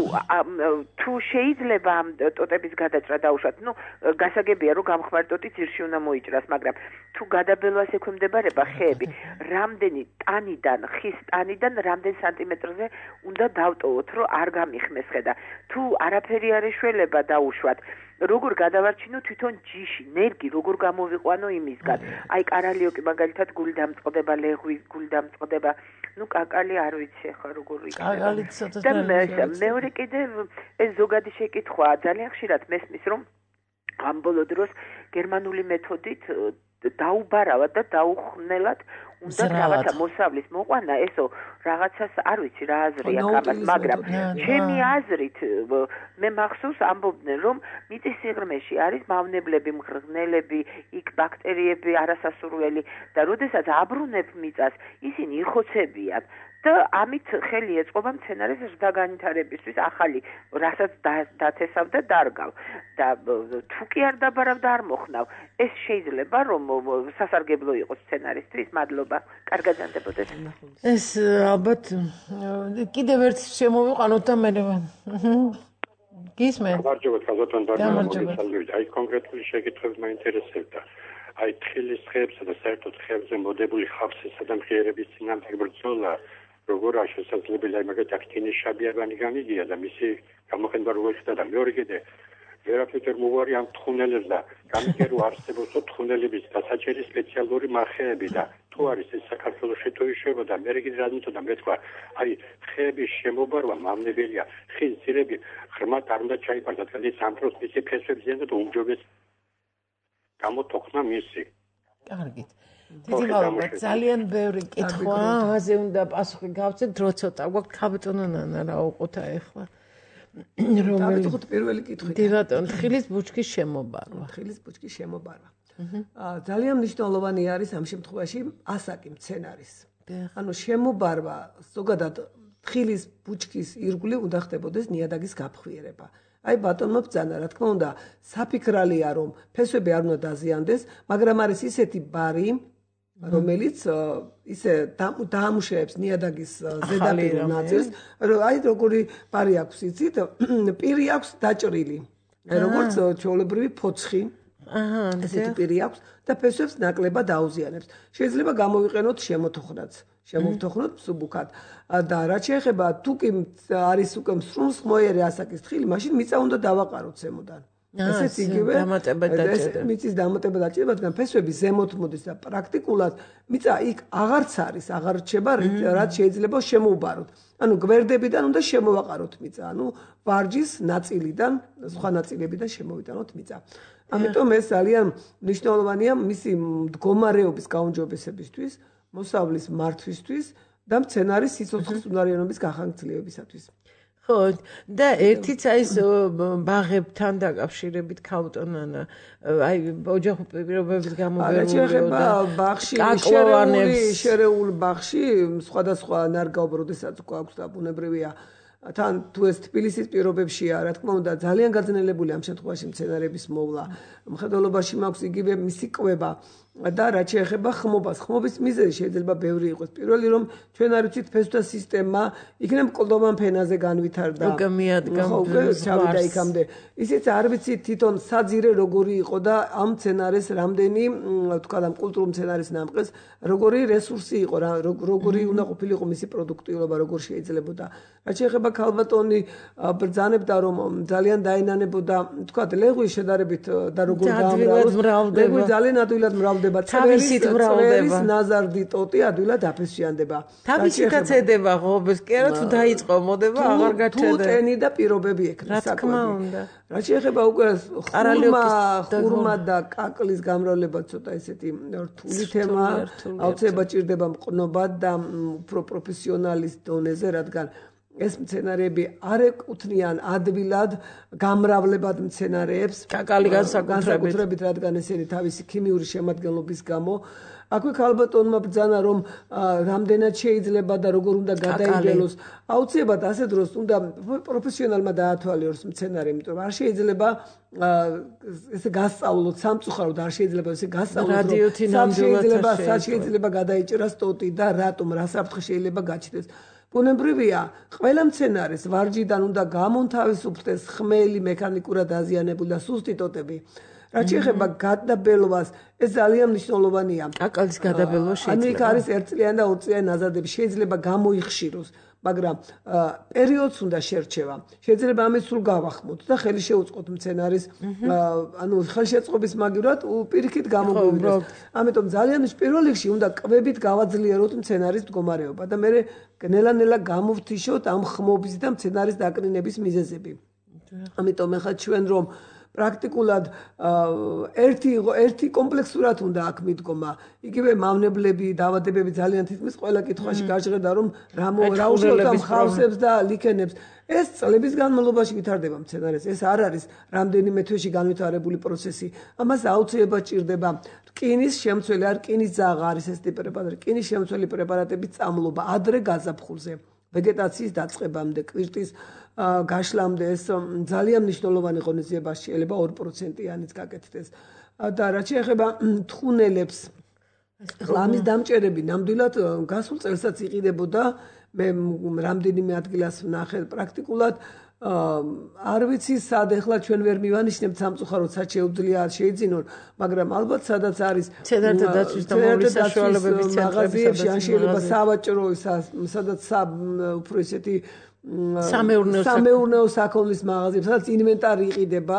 თუ შეიძლება ამ ტოტების გადაჭრა დაუშვათ, ნუ გასაგებია რომ გამხმარ ტოტი ძირში უნდა მოიჭრას, მაგრამ თუ გადაბელვას ექვემდებარება ხეები, რამდენი ტანიდან, ხის ტანიდან რამდენ სანტიმეტრზე უნდა დავტოვოთ, რომ არ გამიხმეს ხედა. თუ არაფერი არ ეშველება დაუშვათ, როგორ გადავარჩინო თვითონ ჯიში, ნერგი როგორ გამოვიყვანო იმისგან. აი კარალიოკი მაგალითად გული დამწყდება, ლეღვი გული დამწყდება. ნუ კაკალი არ ვიცი ხა როგორ იქნება. კაკალი ცოტა და მეორე კიდე ეს ზოგადი შეკითხვაა, ძალიან ხშირად მესმის რომ ამ ბოლო დროს გერმანული მეთოდით დაუბარავად და დაუხნელად უნდა რაღაცა მოსავლის მოყვანა, ესო რაღაცას არ ვიცი რა აზრია ამას, მაგრამ ჩემი აზრით მე მახსოვს ამბობდნენ რომ მიწის სიღრმეში არის მავნებლები, მღრღნელები, იქ ბაქტერიები არასასურველი და როდესაც აბრუნებ მიწას, ისინი იხოცებიან და ამით ხელი ეწყობა მცენარეს ზრდაგანვითარებისთვის ახალი, რასაც დათესავ და დარგავ და თუ კი არ დაბარავ და არ მოხნავ, ეს შეიძლება რომ სასარგებლო იყოს მცენარისთვის. მადლობა, კარგად გრძანდებოდეს. ეს ალბათ კიდევ ერთ შემოვიყვანოთ და მე გისმენთ. გამარჯობა, ქალბატონ ბარბარა. აი კონკრეტული შეკითხვები მაინტერესებდა. აი თხილის ხეებსა და საერთოდ ხეებზე მოდებული ხავსისა და მღიერების წინააღმდეგ ბრძოლა როგორ არის შესაძლებელი, აი მაგათ აქტინის შაბიაგანი განიგია და მისი გამოყენება როგორ ხდება და მეორე კიდე ვერაფერ მოგვარი ამ თხუნელებს და განიგია რომ არსებობს თხუნელების დასაჭერი სპეციალური მარხეები და თუ არის ეს საქართველოში თუ ისევა და მე კიდე რა მინდოდა მეთქვა, აი ხეების შემობარვა მავნებელია, ხის ძირები ღრმად არ უნდა ჩაიფარდათ, δηλαδή სამწუხაროდ მისი ფესვები ზიანდა და უმჯობეს გამოტოხნა მისი. კარგით. დიდი მადლობა, ძალიან ბევრი კითხვა, ამაზე უნდა პასუხი გავცეთ, დრო ცოტა გვაქვს. ქალბატონო ნანა რა უყოთა ახლა? რომელი დავიწყოთ პირველი კითხვით. დი ბატონო, თხილის ბუჩქის შემობარვა. თხილის ბუჩქის შემობარვა. აა ძალიან მნიშვნელოვანი არის ამ შემთხვევაში ასაკი მცენარის. ანუ შემობარვა, ზოგადად თხილის ბუჩქის ირგვლივ უნდა ხდებოდეს ნიადაგის გაფხვიერება. აი ბატონო ბძანა, რა თქმა უნდა, საფიქრალია რომ ფესვები არ უნდა დაზიანდეს, მაგრამ არის ისეთი ბარი, რომელიც ისე დაამუშავებს ნიადაგის ზედაპირულ ნაწილს, რომ აი როგორი ბარი აქვს იცით, პირი აქვს დაჭრილი, როგორც ჩვეულებრივი ფოცხი. აჰა, ესეთი პირი აქვს და ფესვებს ნაკლებად აუზიანებს. შეიძლება გამოვიყენოთ შემოთოხნაც. შემოვთოხნოთ მსუბუქად და რაც შეეხება თუ კი არის უკვე მსრულსხმოერი ასაკის თხილი, მაშინ მიწა უნდა დავაყაროთ ზემოდან. ესეც იგივე მიწის დამატება დაჭირება, რადგან ფესვები ზემოთ მოდის და პრაქტიკულად მიწა იქ აღარც არის, აღარ რჩება, რაც შეიძლება შემოუბაროთ. ანუ გვერდებიდან უნდა შემოვაყაროთ მიწა, ანუ ვარჯის ნაწილიდან, სხვა ნაწილებიდან შემოვიტანოთ მიწა. ამიტომ ეს ძალიან მნიშვნელოვანია მისი მდგომარეობის გაუმჯობესებისთვის, მოსავლის მართვისთვის და მცენარის სიცოცხლის უნარიანობის გახანგრძლივებისათვის. ხო, და ერთიც აი ეს ბაღებთან დაკავშირებით ქალბატონო, აი ოჯახურ პირობების გამოგერული და ბაღში შერეული შერეულ ბაღში სხვადასხვა ნარგავ როდესაც გვაქვს და ბუნებრივია თან თუ ეს თბილისის პირობებშია, რა თქმა უნდა, ძალიან გაძნელებული ამ შემთხვევაში მცენარების მოვლა. მხედველობაში მაქვს იგივე მისი კვება და რაც შეეხება ხმობას. ხმობის მიზეზი შეიძლება ბევრი იყოს. პირველი რომ ჩვენ არ ვიცით ფესვთა სისტემა იქნებ კლდოვან ფენაზე განვითარდა. უკვე მიადგა ჩავიდა იქამდე. ისიც არ ვიცით თვითონ საძირე როგორი იყო და ამ მცენარეს რამდენი თქვა და კულტურულ მცენარის ნამყეს როგორი რესურსი იყო, როგორი უნდა ყოფილიყო მისი პროდუქტიულობა, როგორ შეიძლებოდა. რაც შეეხება ქალბატონი ბრძანებდა რომ ძალიან დაენანებოდა თქვა ლეღვის შედარებით და როგორ გაამრავლოს. ლეღვი ძალიან ადვილად მრავლდება. თავისით მრავლდება. ნაზარდი ტოტი ადვილად აფესვიანდება. თავისითაც ედება ღობეს, კი არა თუ დაიწყო მოდება აღარ გაჩერდა. თუ ტენი და პირობები ექნება საკვები. რა თქმა უნდა. რაც შეეხება უკვე ხურმა, ხურმა და კაკლის გამრავლება ცოტა ესეთი რთული თემა. აუცილებლად ჭირდება მყნობა და უფრო პროფესიონალის დონეზე, რადგან ეს მცენარეები არ ეკუთვნიან ადვილად გამრავლებად მცენარეებს კაკალი განსაკუთრებით რადგან ესენი თავისი ქიმიური შემადგენლობის გამო აქვე ქალბატონმა ბრძანა რომ რამდენად შეიძლება და როგორ უნდა გადაიგელოს აუცილებლად ასე დროს უნდა პროფესიონალმა დაათვალიეროს მცენარე იმიტომ რომ არ შეიძლება ესე გასწავლოთ სამწუხაროდ არ შეიძლება ესე გასწავლოთ რომ შეიძლება შეიძლება გადაიჭრას ტოტი და რატომ რა საფრთხე შეიძლება გაჩნდეს ბუნებრივია ყველა მცენარეს ვარჯიდან უნდა გამონთავისუფლდეს ხმელი მექანიკურად დაზიანებული და სუსტი ტოტები რაც შეეხება გადაბელვას ეს ძალიან მნიშვნელოვანია კაკალის გადაბელვა შეიძლება ანუ იქ არის ერთწლიანი და ორწლიანი ნაზადები შეიძლება გამოიხშიროს მაგრამ პერიოდს უნდა შერჩევა შეიძლება ამის სულ გავახმოთ და ხელი შეუწყოთ მცენარის ანუ ხელშეწყობის მაგივრად პირიქით გამოგვივიდეს ამიტომ ძალიან პირველ რიგში უნდა კვებით გავაძლიეროთ მცენარის მდგომარეობა და მე ნელა-ნელა გამოვთიშოთ ამ ხმობის და მცენარის დაკნინების მიზეზები ამიტომ ეხლა ჩვენ რომ პრაქტიკულად ერთი ერთი კომპლექსურად უნდა აქ მიდგომა. იგივე მავნებლები, დაავადებები ძალიან თითქმის ყველა კითხვაში გაჟღერდა რომ რა რა უშუალოდ მხავსებს და ლიქენებს. ეს წლების განმავლობაში ვითარდება მცენარეს. ეს არ არის რამდენიმე თვეში განვითარებული პროცესი. ამას აუცილებლად ჭირდება რკინის შემცველი, არ რკინის ძაღა არის ეს ტიპი პრეპარატი. რკინის შემცველი პრეპარატების წამლობა ადრე გაზაფხულზე, ვეგეტაციის დაწყებამდე, კვირტის გაშლამდე ეს ძალიან მნიშვნელოვანი ღონისძიება შეიძლება ორი პროცენტიანიც გაკეთდეს. და რაც შეეხება თხუნელებს, ლამის დამჭერები ნამდვილად გასულ წელსაც იყიდებოდა მე რამდენიმე ადგილას ვნახე პრაქტიკულად არ ვიცი სად ეხლა ჩვენ ვერ მივანიშნებთ სამწუხაროდ სად შეუძლია შეიძინონ მაგრამ ალბათ სადაც არის ცენართა დაცვის და მოვლის საშუალებების ცენტრები ან შეიძლება სავაჭრო სადაც უფრო ისეთი სამეურნეო სამეურნეო საქონლის მაღაზიები სადაც ინვენტარი იყიდება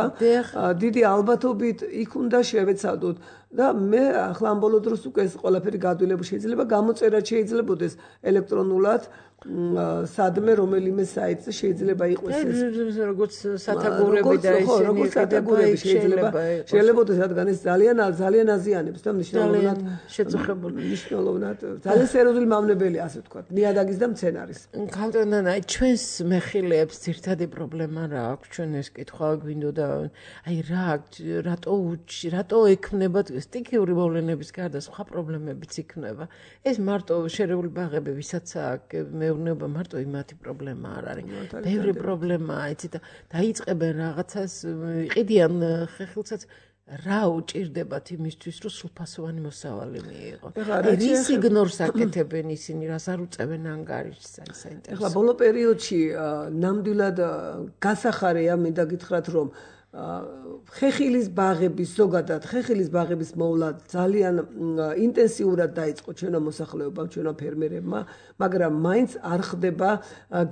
დიდი ალბათობით იქ უნდა შევეცადოთ და მე ახლა ამ ბოლო დროს უკვე ეს ყველაფერი გადვილებული შეიძლება გამოწერა შეიძლებაოდეს ელექტრონულად სადმე რომელიმე საიტზე შეიძლება იყოს ეს როგორც სათაგურები და ისინი როგორც სათაგურები შეიძლება შეიძლებაოდეს რადგან ეს ძალიან ძალიან აზიანებს და მნიშვნელოვნად შეწუხებული მნიშვნელოვნად ძალიან სერიოზული მავნებელია ასე ვთქვათ ნიადაგის და მცენარის კანტონანა ჩვენს მეხილეებს ძირთადი პრობლემა რა აქვს ჩვენ ეს კითხვა გვინდოდა აი რა რატო რატო ექმნება სტიქიური მოვლენების გარდა სხვა პრობლემებიც იქნება ეს მარტო შერეული ბაღები ვისაც აქვს მეურნეობა მარტო იმათი პრობლემა არ არის ბევრი პრობლემაა იცი და დაიწყებენ რაღაცას იყიდიან ხეხილსაც რა უჭირდებათ იმისთვის რომ სრულფასოვანი მოსავალი მიიღონ რის იგნორს აკეთებენ ისინი რას არ უწევენ ანგარიშს აი საინტერესო ეხლა ბოლო პერიოდში ნამდვილად გასახარია მინდა გითხრათ რომ ხეხილის ბაღების ზოგადად ხეხილის ბაღების მოვლა ძალიან ინტენსიურად დაიწყო ჩვენო მოსახლეობამ ჩვენო ფერმერებმა მაგრამ მაინც არ ხდება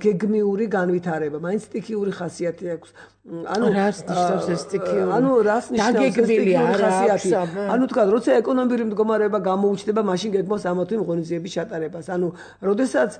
გეგმიური განვითარება მაინც სტიქიური ხასიათი აქვს ანუ რას ნიშნავს ეს სტიქიური ანუ რას ნიშნავს სტიქიური ხასიათი ანუ თქვა როცა ეკონომიკური მდგომარეობა გამოუჩნდება მაშინ გეგმავს ამათი ღონისძიების ჩატარებას ანუ როდესაც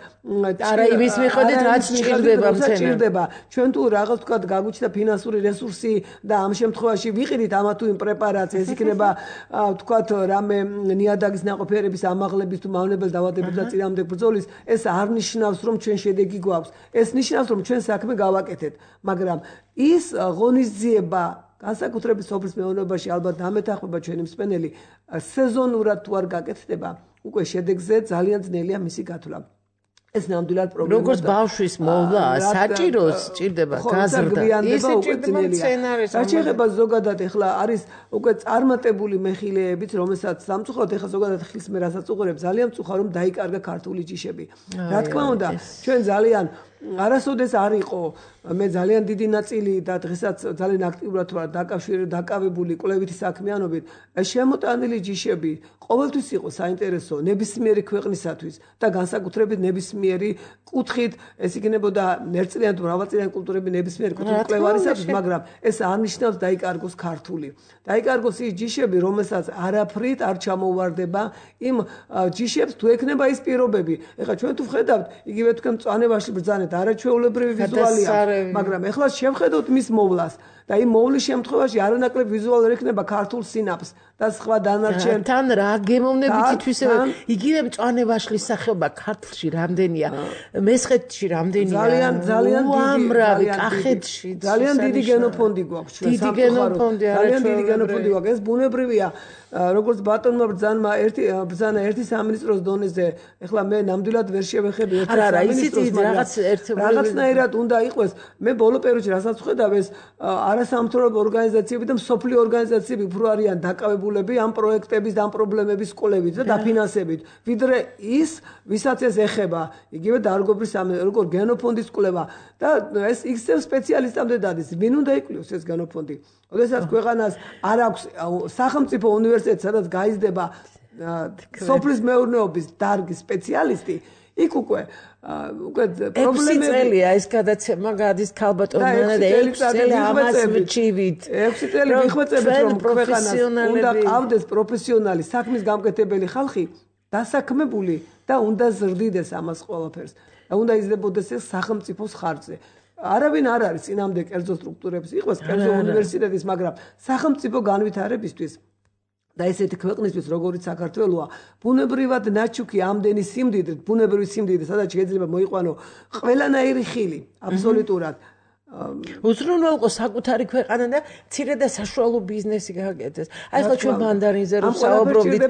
არა იმის მიხედვით რაც ჭირდება მცენარეს ჩვენ თუ რაღაც თქვა გაგვიჩნდა ფინანსური რესურსი და ამ შემთხვევაში ვიყიდით ამა თუ იმ პრეპარატს ეს იქნება ვთქვათ რამე ნიადაგის ნაყოფიერების ამაღლების თუ მავნებელ დაავადებების და წინააღმდეგ ბრძოლის ეს არ ნიშნავს რომ ჩვენ შედეგი გვაქვს ეს ნიშნავს რომ ჩვენ საქმე გავაკეთეთ მაგრამ ის ღონისძიება განსაკუთრებით სოფლის მეურნეობაში ალბათ დამეთანხმება ჩვენი მსმენელი სეზონურად თუ არ გაკეთდება უკვე შედეგზე ძალიან ძნელია მისი გათვლა ეს ნამდვილად პრობლემაა. როგორც ბავშვის მოვლა, საჭიროს ჭირდება გაზრდა. ისე ჭირდება მცენარეს. რაც შეეხება ზოგადად ეხლა არის უკვე წარმატებული მეხილეებიც, რომელსაც სამწუხაროდ ეხლა ზოგადად ხილს მე რასაც უყურებ, ძალიან მწუხარ რომ დაიკარგა ქართული ჯიშები. რა თქმა უნდა, ჩვენ ძალიან არასოდეს არ იყო მე ძალიან დიდი ნაწილი და დღესაც ძალიან აქტიურად ვარ დაკავშირებული დაკავებული კვლევითი საქმიანობით შემოტანილი ჯიშები ყოველთვის იყო საინტერესო ნებისმიერი ქვეყნისათვის და განსაკუთრებით ნებისმიერი კუთხით ეს იქნებოდა ერთწლიანი თუ მრავალწლიანი კულტურები ნებისმიერი კუთხით კვლევარისათვის მაგრამ ეს არ ნიშნავს დაიკარგოს ქართული დაიკარგოს ის ჯიშები რომელსაც არაფრით არ ჩამოვარდება იმ ჯიშებს თუ ექნება ის პირობები ეხლა ჩვენ თუ ვხედავთ იგივე თქვენ მწვანებაში ბრძანეთ არაჩვეულებრივი ვიზუალია მაგრამ ეხლა შევხედოთ მის მოვლას და იმ მოვლის შემთხვევაში არანაკლებ ვიზუალურად ექნება ქართულ სინაპს და სხვა დანარჩენ თან რა გემოვნებით თვისება იგივე მწვანე ვაშლის სახეობა ქართლში რამდენია მესხეთში რამდენია ძალიან ძალიან უამრავი კახეთში ძალიან დიდი გენოფონდი გვაქვს ჩვენ დიდი გენოფონდი ძალიან დიდი გენოფონდი გვაქვს ეს ბუნებრივია როგორც ბატონმა ბრძანმა ერთი ბრძანა ერთი სამინისტროს დონეზე ეხლა მე ნამდვილად ვერ შევეხები ერთ სამინისტროს რაღაც რაღაცნაირად უნდა იყოს მე ბოლო პერიოდში რასაც ვხედავ ეს არასამთავრობო ორგანიზაციები და მსოფლიო ორგანიზაციები უფრო არიან დაკავებულები ამ პროექტების და ამ პრობლემების კვლევით და დაფინანსებით ვიდრე ის ვისაც ეს ეხება იგივე დარგობრივ როგორ გენოფონდის კვლევა და ეს იქცევ სპეციალისტამდე დადის ვინ უნდა იკვლევს ეს გენოფონდი ოდესაც ქვეყანას არ აქვს სახელმწიფო უნივერსიტეტი სადაც გაიზრდება სოფლის მეურნეობის დარგის სპეციალისტი იქ უკვე უკვე პრობლემები წელია ეს გადაცემა გადის ქალბატონმა და ექვსი წელი ამას ვჩივით ექვსი წელი მიხვეწებით რომ ქვეყანას უნდა ყავდეს პროფესიონალი საქმის გამკეთებელი ხალხი დასაქმებული და უნდა ზრდიდეს ამას ყველაფერს და უნდა იზრდებოდეს ეს სახელმწიფოს ხარჯზე არავინ არ არის წინამდე კერძო სტრუქტურების იყოს კერძო უნივერსიტეტის მაგრამ სახელმწიფო განვითარებისთვის და ესეთი ქვეყნისთვის როგორიც საქართველოა ბუნებრივად ნაჩუქი ამდენი სიმდიდრით ბუნებრივი სიმდიდრე სადაც შეიძლება მოიყვანო ყველანაირი ხილი აბსოლუტურად უზრუნველყო საკუთარი ქვეყანა და მცირე და საშუალო ბიზნესი გააკეთეს. აი ხო ჩვენ მანდარინზე რომ საუბრობდით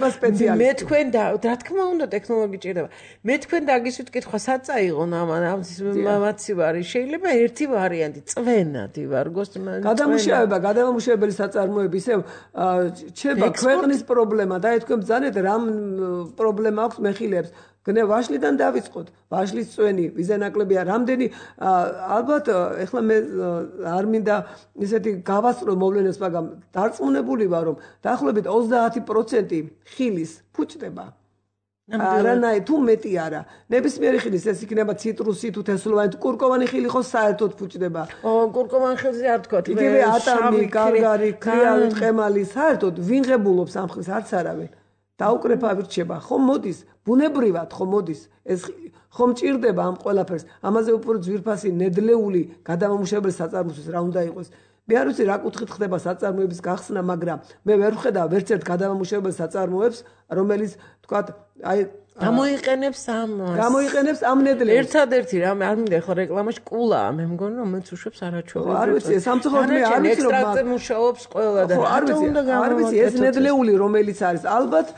მე თქვენ და რა თქმა უნდა ტექნოლოგი ჭირდება. მე თქვენ დაგისვით კითხვა საწაიღონ ამან მამაცი ვარი შეიძლება ერთი ვარიანტი წვენადი ვარგოს გადამუშავება გადამამუშავებელი საწარმოები ისევ ჩება ქვეყნის პრობლემა და თქვენ ბრძანეთ რამ პრობლემა აქვს მეხილებს გნე ვაშლიდან დავიწყოთ ვაშლის წვენი ვიზენაკლებია რამდენი ალბათ ეხლა მე არ მინდა ისეთი გავასწრო მოვლენებს მაგრამ დარწმუნებული ვარ რომ დაახლოებით ოცდაათი პროცენტი ხილის ფუჭდება არანაირ თუ მეტი არა ნებისმიერი ხილის ეს იქნება ციტრუსი თუ თესლოვანი თუ კურკოვანი ხილი ხო საერთოდ ფუჭდება ო კურკოვანი ხილზე არ თქვა იგივე ატამი გარგარი ქრიალი ტყემალი საერთოდ ვინღებულობს ამ ხილს არც არავინ დაუკრეფავი რჩება ხომ მოდის ბუნებრივად ხომ მოდის ეს ხომ ჭირდება ამ ყველაფერს ამაზე უფრო ძვირფასი ნედლეული გადამამუშავებელი საწარმოების რა უნდა იყოს მე არ ვიცი რა კუთხით ხდება საწარმოების გახსნა მაგრამ მე ვერ ვხედავ ვერც ერთ გადამამუშავებელ საწარმოებს რომელიც თქვა აი გამოიყენებს ამ გამოიყენებს ამ ნედლებს ერთადერთი რამე არ მინდა ხო რეკლამაში კულაა მე მგონი რომ მეც უშვებს არაჩვეულებრივად არ ვიცი სამწუხაროდ მე არ ვიცი რომ ექსტრაქტზე მუშაობს ყველა და არ ვიცი არ ვიცი ეს ნედლეული რომელიც არის ალბათ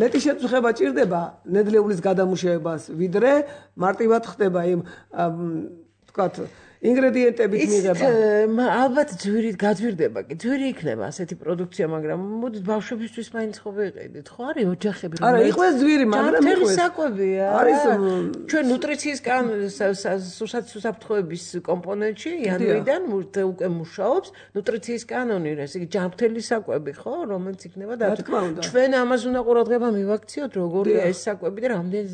მეტი შეწუხება ჭირდება ნედლეულის გადამუშავებას ვიდრე მარტივად ხდება იმ თქვათ ინგრედიენტებით მიღება. ალბათ ძვირით გაძვირდება კი. ძვირი იქნება ასეთი პროდუქცია, მაგრამ მოდით ბავშვებისთვის მაინც ხო ვიყიდით. ხო არის ოჯახები რომ არა, იყოს ძვირი, მაგრამ იყოს საკვებია. არის ჩვენ ნუტრიციის სასაფრთხოების კომპონენტში იანვრიდან უკვე მუშაობს ნუტრიციის კანონი, ესე იგი ჯანმრთელი საკვები, ხო, რომელიც იქნება და ჩვენ ამას უნდა ყურადღება მივაქციოთ, როგორია ეს საკვები და რამდენი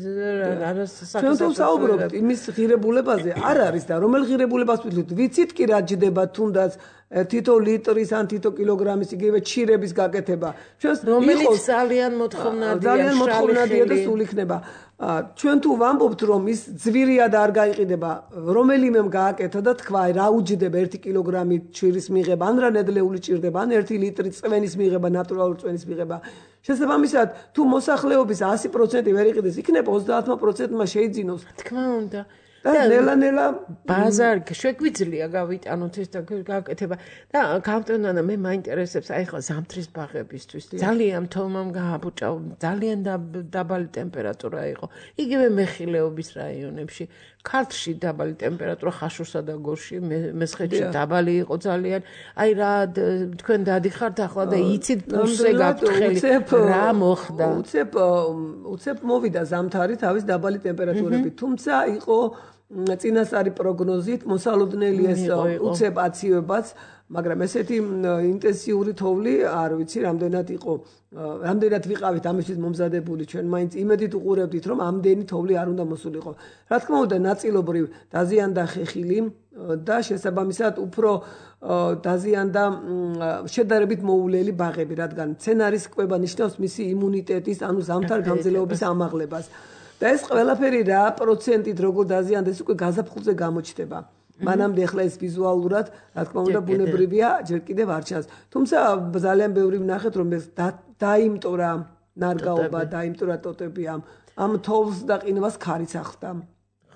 ჩვენ თუ საუბრობთ იმის ღირებულებაზე, არ არის და რომელ ღირებულებაზე ვიცით კი რა ჯდება თუნდაც თითო ლიტრის ან თითო კილოგრამის იგივე ჩირების გაკეთება. ჩვენს რომელიც ძალიან მოთხოვნადია, ძალიან მოთხოვნადია და სულ იქნება. ჩვენ თუ ვამბობთ რომ ის ძვირიად არ გაიყიდება, რომელიმემ გააკეთა და თქვა რა უჯდება ერთი კილოგრამი ჩირის მიღება, ან რა ნედლეული ჭირდება, ან ერთი ლიტრი წვენის მიღება, ნატურალური წვენის მიღება. შესაბამისად, თუ მოსახლეობის ასი პროცენტი ვერ იყიდეს, იქნება ოცდაათი პროცენტმა შეიძინოს. თქმა უნდა. და ნელა-ნელა ბაზარი შეგვიძლია გავიტანოთ ეს და გაკეთება და გამტენანა მე მაინტერესებს აი ხო ზამთრის ბაღებისთვის ძალიან თომამ გააბუჭა ძალიან დაბალი ტემპერატურა იყო იგივე მეხილეობის რაიონებში ქართლში დაბალი ტემპერატურა ხაშურსა და გორში მესხეთში დაბალი იყო ძალიან აი რა თქვენ დადიხართ ახლა და იცით პულსზე გაფრთხილი რა მოხდა უცებ უცებ მოვიდა ზამთარი თავის დაბალი ტემპერატურებით თუმცა იყო წინასწარი პროგნოზით მოსალოდნელი ეს უცებ აციებაც მაგრამ ესეთი ინტენსიური თოვლი არ ვიცი რამდენად იყო რამდენად ვიყავით ამისთვის მომზადებული ჩვენ მაინც იმედით უყურებდით რომ ამდენი თოვლი არ უნდა მოსულიყო რა თქმა უნდა ნაწილობრივ დაზიანდა ხეხილი და შესაბამისად უფრო დაზიანდა შედარებით მოულელი ბაღები რადგან მცენარის კვება ნიშნავს მისი იმუნიტეტის ანუ ზამთარ გამძლეობის ამაღლებას და ეს ყველაფერი რა პროცენტით როგორ დაზიანდეს უკვე გაზაფხულზე გამოჩნდება მანამდე ახლა ეს ვიზუალურად, რა თქმა უნდა, ბუნებრივია, ჯერ კიდევ არ ჩანს. თუმცა ძალიან ბევრი ვნახეთ, რომ ეს დაიმტორა ნარგაობა, დაიმტორა ტოტები ამ ამ თოვლს და ყინვას ქარიც ახდა.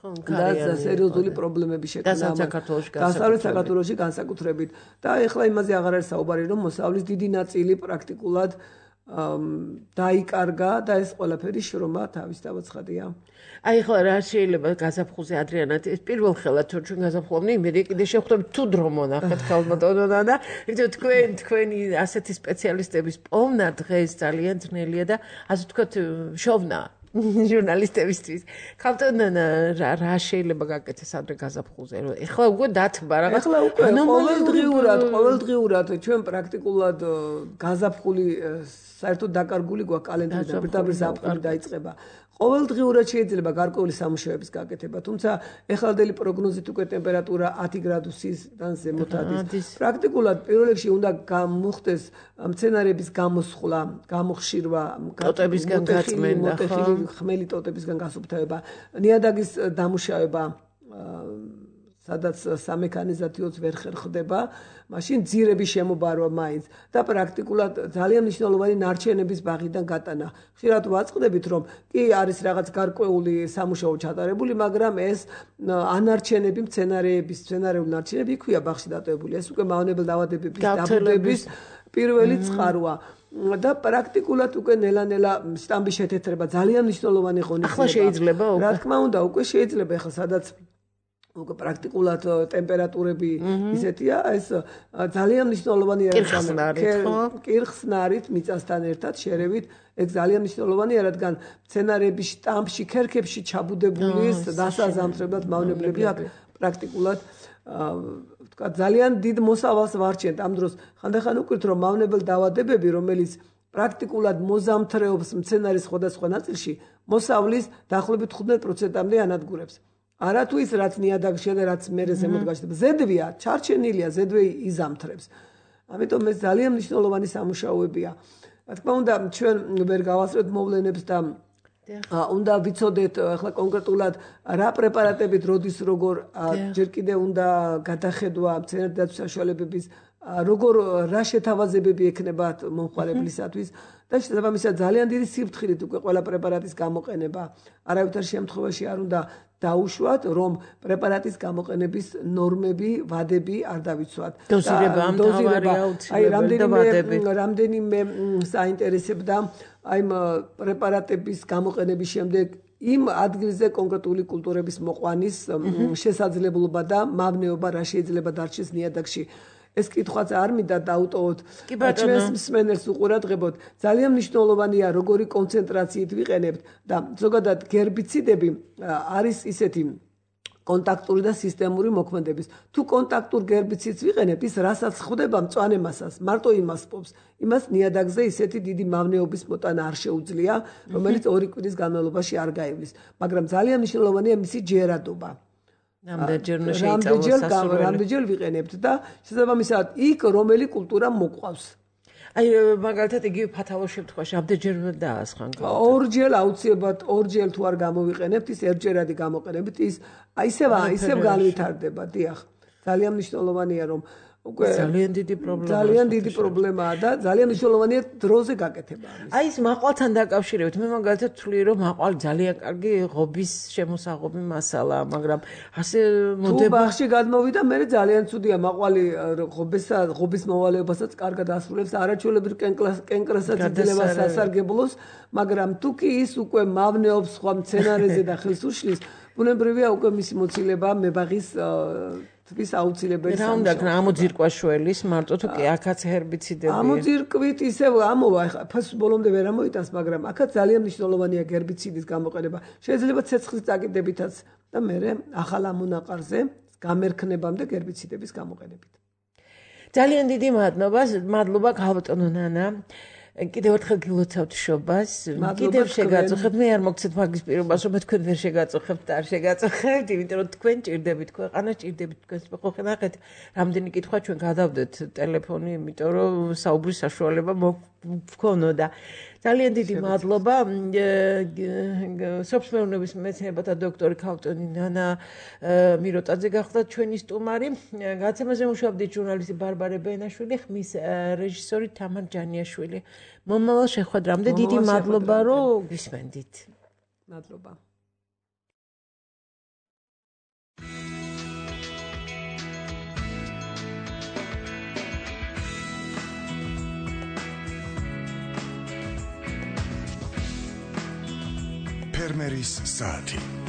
და სერიოზული პრობლემები შექმნა დასავლეთ საქართველოში განსაკუთრებით. და ეხლა იმაზე აღარ არის საუბარი, რომ მოსავლის დიდი ნაწილი პრაქტიკულად დაიკარგა და ეს ყველაფერი შრომა თავის დავაცხადია. აი ახლა რა შეიძლება გაზაფხულზე ადრიანად ეს პირველ ხელად თუ ჩვენ გაზაფხულობთ, იმედი კიდე შევხვდებით თუ დრო მონახეთ ქალბატონონა და იცით თქვენ თქვენი ასეთი სპეციალისტების პოვნა დღეს ძალიან ძნელია და ასე ვთქვათ შოვნა ჟურნალისტებისთვის. ქალბატონონა რა შეიძლება გაკეთდეს ადრე გაზაფხულზე? ეხლა უკვე დათბა რაღაც. ეხლა უკვე ყოველდღიურად, ყოველდღიურად ჩვენ პრაქტიკულად გაზაფხული საერთოდ დაკარგული გვაქვს კალენდრიდან, პირდაპირ ზაფხული დაიწყება. ყოველდღიურად შეიძლება გარკვეული სამუშაოების გაკეთება, თუმცა ეხალდელი პროგნოზით უკვე ტემპერატურა ათი გრადუსიდან ზემოთ ადის. პრაქტიკულად პირველ რიგში უნდა გამოხდეს მცენარეების გამოსხლა, გამოხშირვა, ტოტებისგან გაწმენდა, ხმელი ტოტებისგან გასუფთავება, ნიადაგის დამუშავება, სადაც სამექანიზაციოც ვერ ხერხდება, მაშინ ძირების შემობარვა მაინც და პრაქტიკულად ძალიან მნიშვნელოვანი ნარჩენების ბაღიდან გატანა. ხშირად ვაწყდებით, რომ კი არის რაღაც გარკვეული სამუშაო ჩატარებული, მაგრამ ეს ანარჩენები, მცენარეების, მცენარეული ნარჩენები იქვია ბაღში დატოვებული. ეს უკვე მავნებელ დაავადებების დაბუდების პირველი წყაროა. და პრაქტიკულად უკვე ნელა-ნელა სტამბის შეთეთრება ძალიან მნიშვნელოვანი ღონისძიება. ახლა შეიძლება რა თქმა უნდა, უკვე შეიძლება ახლა სადაც უკვე პრაქტიკულად ტემპერატურები ისეთია, ეს ძალიან მნიშვნელოვანი არის კირხსნარით მიწასთან ერთად შერევით, ეს ძალიან მნიშვნელოვანია, რადგან მცენარეების შტამში, ქერქებში ჩაბუდებული დასაზამთრებლად მავნებლები აქ პრაქტიკულად ვთქვა ძალიან დიდ მოსავალს ვარჩენთ ამ დროს. ხანდახან უკვირთ, რომ მავნებელ დაავადებები, რომელიც პრაქტიკულად მოზამთრეობს მცენარის სხვადასხვა ნაწილში, მოსავლის დაახლოებით თხუთმეტ პროცენტამდე ანადგურებს. არა თუ ის რაც ნიადაგშია და რაც მერე ზემოთ გაჩნდება. ზედვია, ჩარჩენილია, ზედვე იზამთრებს. ამიტომ ეს ძალიან მნიშვნელოვანი სამუშაოებია. რა თქმა უნდა, ჩვენ ვერ გავასწრებთ მოვლენებს და უნდა ვიცოდეთ ახლა კონკრეტულად რა პრეპარატებით როდის როგორ ჯერ კიდევ უნდა გადახედვა მცენარეთა დაცვის საშუალებების როგორ რა შეთავაზებები ექნებათ მომხმარებლისათვის და შესაბამისად ძალიან დიდი სიფრთხილით უკვე ყველა პრეპარატის გამოყენება. არავითარ შემთხვევაში არ უნდა დაუშვათ, რომ პრეპარატის გამოყენების ნორმები, ვადები არ დავიცვათ. დოზირება ამთავარია აუცილებელი. რამდენიმე საინტერესებდა აი პრეპარატების გამოყენების შემდეგ იმ ადგილზე კონკრეტული კულტურების მოყვანის შესაძლებლობა და მავნეობა რა შეიძლება დარჩეს ნიადაგში. ეს კითხვაც არ მინდა დაუტოვოთ. ჩვენს მსმენელს უყურადღებოთ. ძალიან მნიშვნელოვანია როგორი კონცენტრაციით ვიყენებთ და ზოგადად გერბიციდები არის ისეთი კონტაქტური და სისტემური მოქმედების. თუ კონტაქტურ გერბიციდს ვიყენებთ, ის რასაც ხვდება მწვანე მასას, მარტო იმას პოვს. იმას ნიადაგზე ისეთი დიდი მავნეობის მოტანა არ შეუძლია, რომელიც ორი კვირის განმავლობაში არ გაივლის. მაგრამ ძალიან მნიშვნელოვანია მისი ჯერადობა. რამდენჯერ შეიცვალოს რამდენჯერ ვიყენებთ და შესაბამისად იქ რომელი კულტურა მოყვავს. აი მაგალითად იგივე ფათალურ შემთხვევაში რამდენჯერ დაასხან? ორჯერ აუცილებლად ორჯერ თუ არ გამოვიყენებთ, ის ერთჯერადი გამოყენებით, ის ისევ ისევ განვითარდება, დიახ. ძალიან მნიშვნელოვანია რომ უკვე ძალიან დიდი პრობლემაა. ძალიან დიდი პრობლემაა და ძალიან მნიშვნელოვანია დროზე გაკეთება ამის. აი ეს მაყვალთან დაკავშირებით მე მაგალითად ვთვლი რომ მაყვალი ძალიან კარგი ღობის შემოსაღობი მასალაა, მაგრამ ასე მოდება. თუ ბაღში გადმოვიდა, მე ძალიან ცუდია მაყვალი ღობესა ღობის მოვალეობასაც კარგად ასრულებს, არაჩვეულებრივ კენკრასაც იძლევა სასარგებლოს, მაგრამ თუ კი ის უკვე მავნეობს სხვა მცენარეზე და ხელს უშლის, ბუნებრივია უკვე მისი მოცილება მებაღის თვის აუცილებელი სამუშაო. რა უნდა გქნა ამოძირკვა შველის, მარტო თუ კი აქაც ჰერბიციდები. ამოძირკვით ისევ ამოვა, ფას ბოლომდე ვერ ამოიტანს, მაგრამ აქაც ძალიან მნიშვნელოვანია გერბიციდის გამოყენება. შეიძლება ცეცხლის წაკიდებითაც და მერე ახალ ამონაყარზე გამერქნებამდე გერბიციდების გამოყენებით. ძალიან დიდი მადლობა, მადლობა ქალბატონო ნანა. კიდევ ერთხელ გილოცავთ შობას. კიდევ შეგაწუხებთ, მე არ მოგცეთ მაგის პირობას, რომ თქვენ ვერ შეგაწუხებთ და არ შეგაწუხებთ, იმიტომ რომ თქვენ ჭირდებით ქვეყანა, ჭირდებით თქვენს ხო ნახეთ, რამდენი კითხვა ჩვენ გადავდეთ ტელეფონი, იმიტომ რომ საუბრის საშუალება ვქონოდა. ძალიან დიდი მადლობა სოფლის მეურნეობის მეცნიერებათა დოქტორი ქავტონი ნანა მიროტაძე გახდა ჩვენი სტუმარი. გაცემაზე მუშაობდით ჟურნალისტი ბარბარე ბენაშვილი, ხმის რეჟისორი თამარ ჯანიაშვილი. მომავალ შეხვედრამდე დიდი მადლობა რომ გვისმენდით. მადლობა. ფერმერის საათი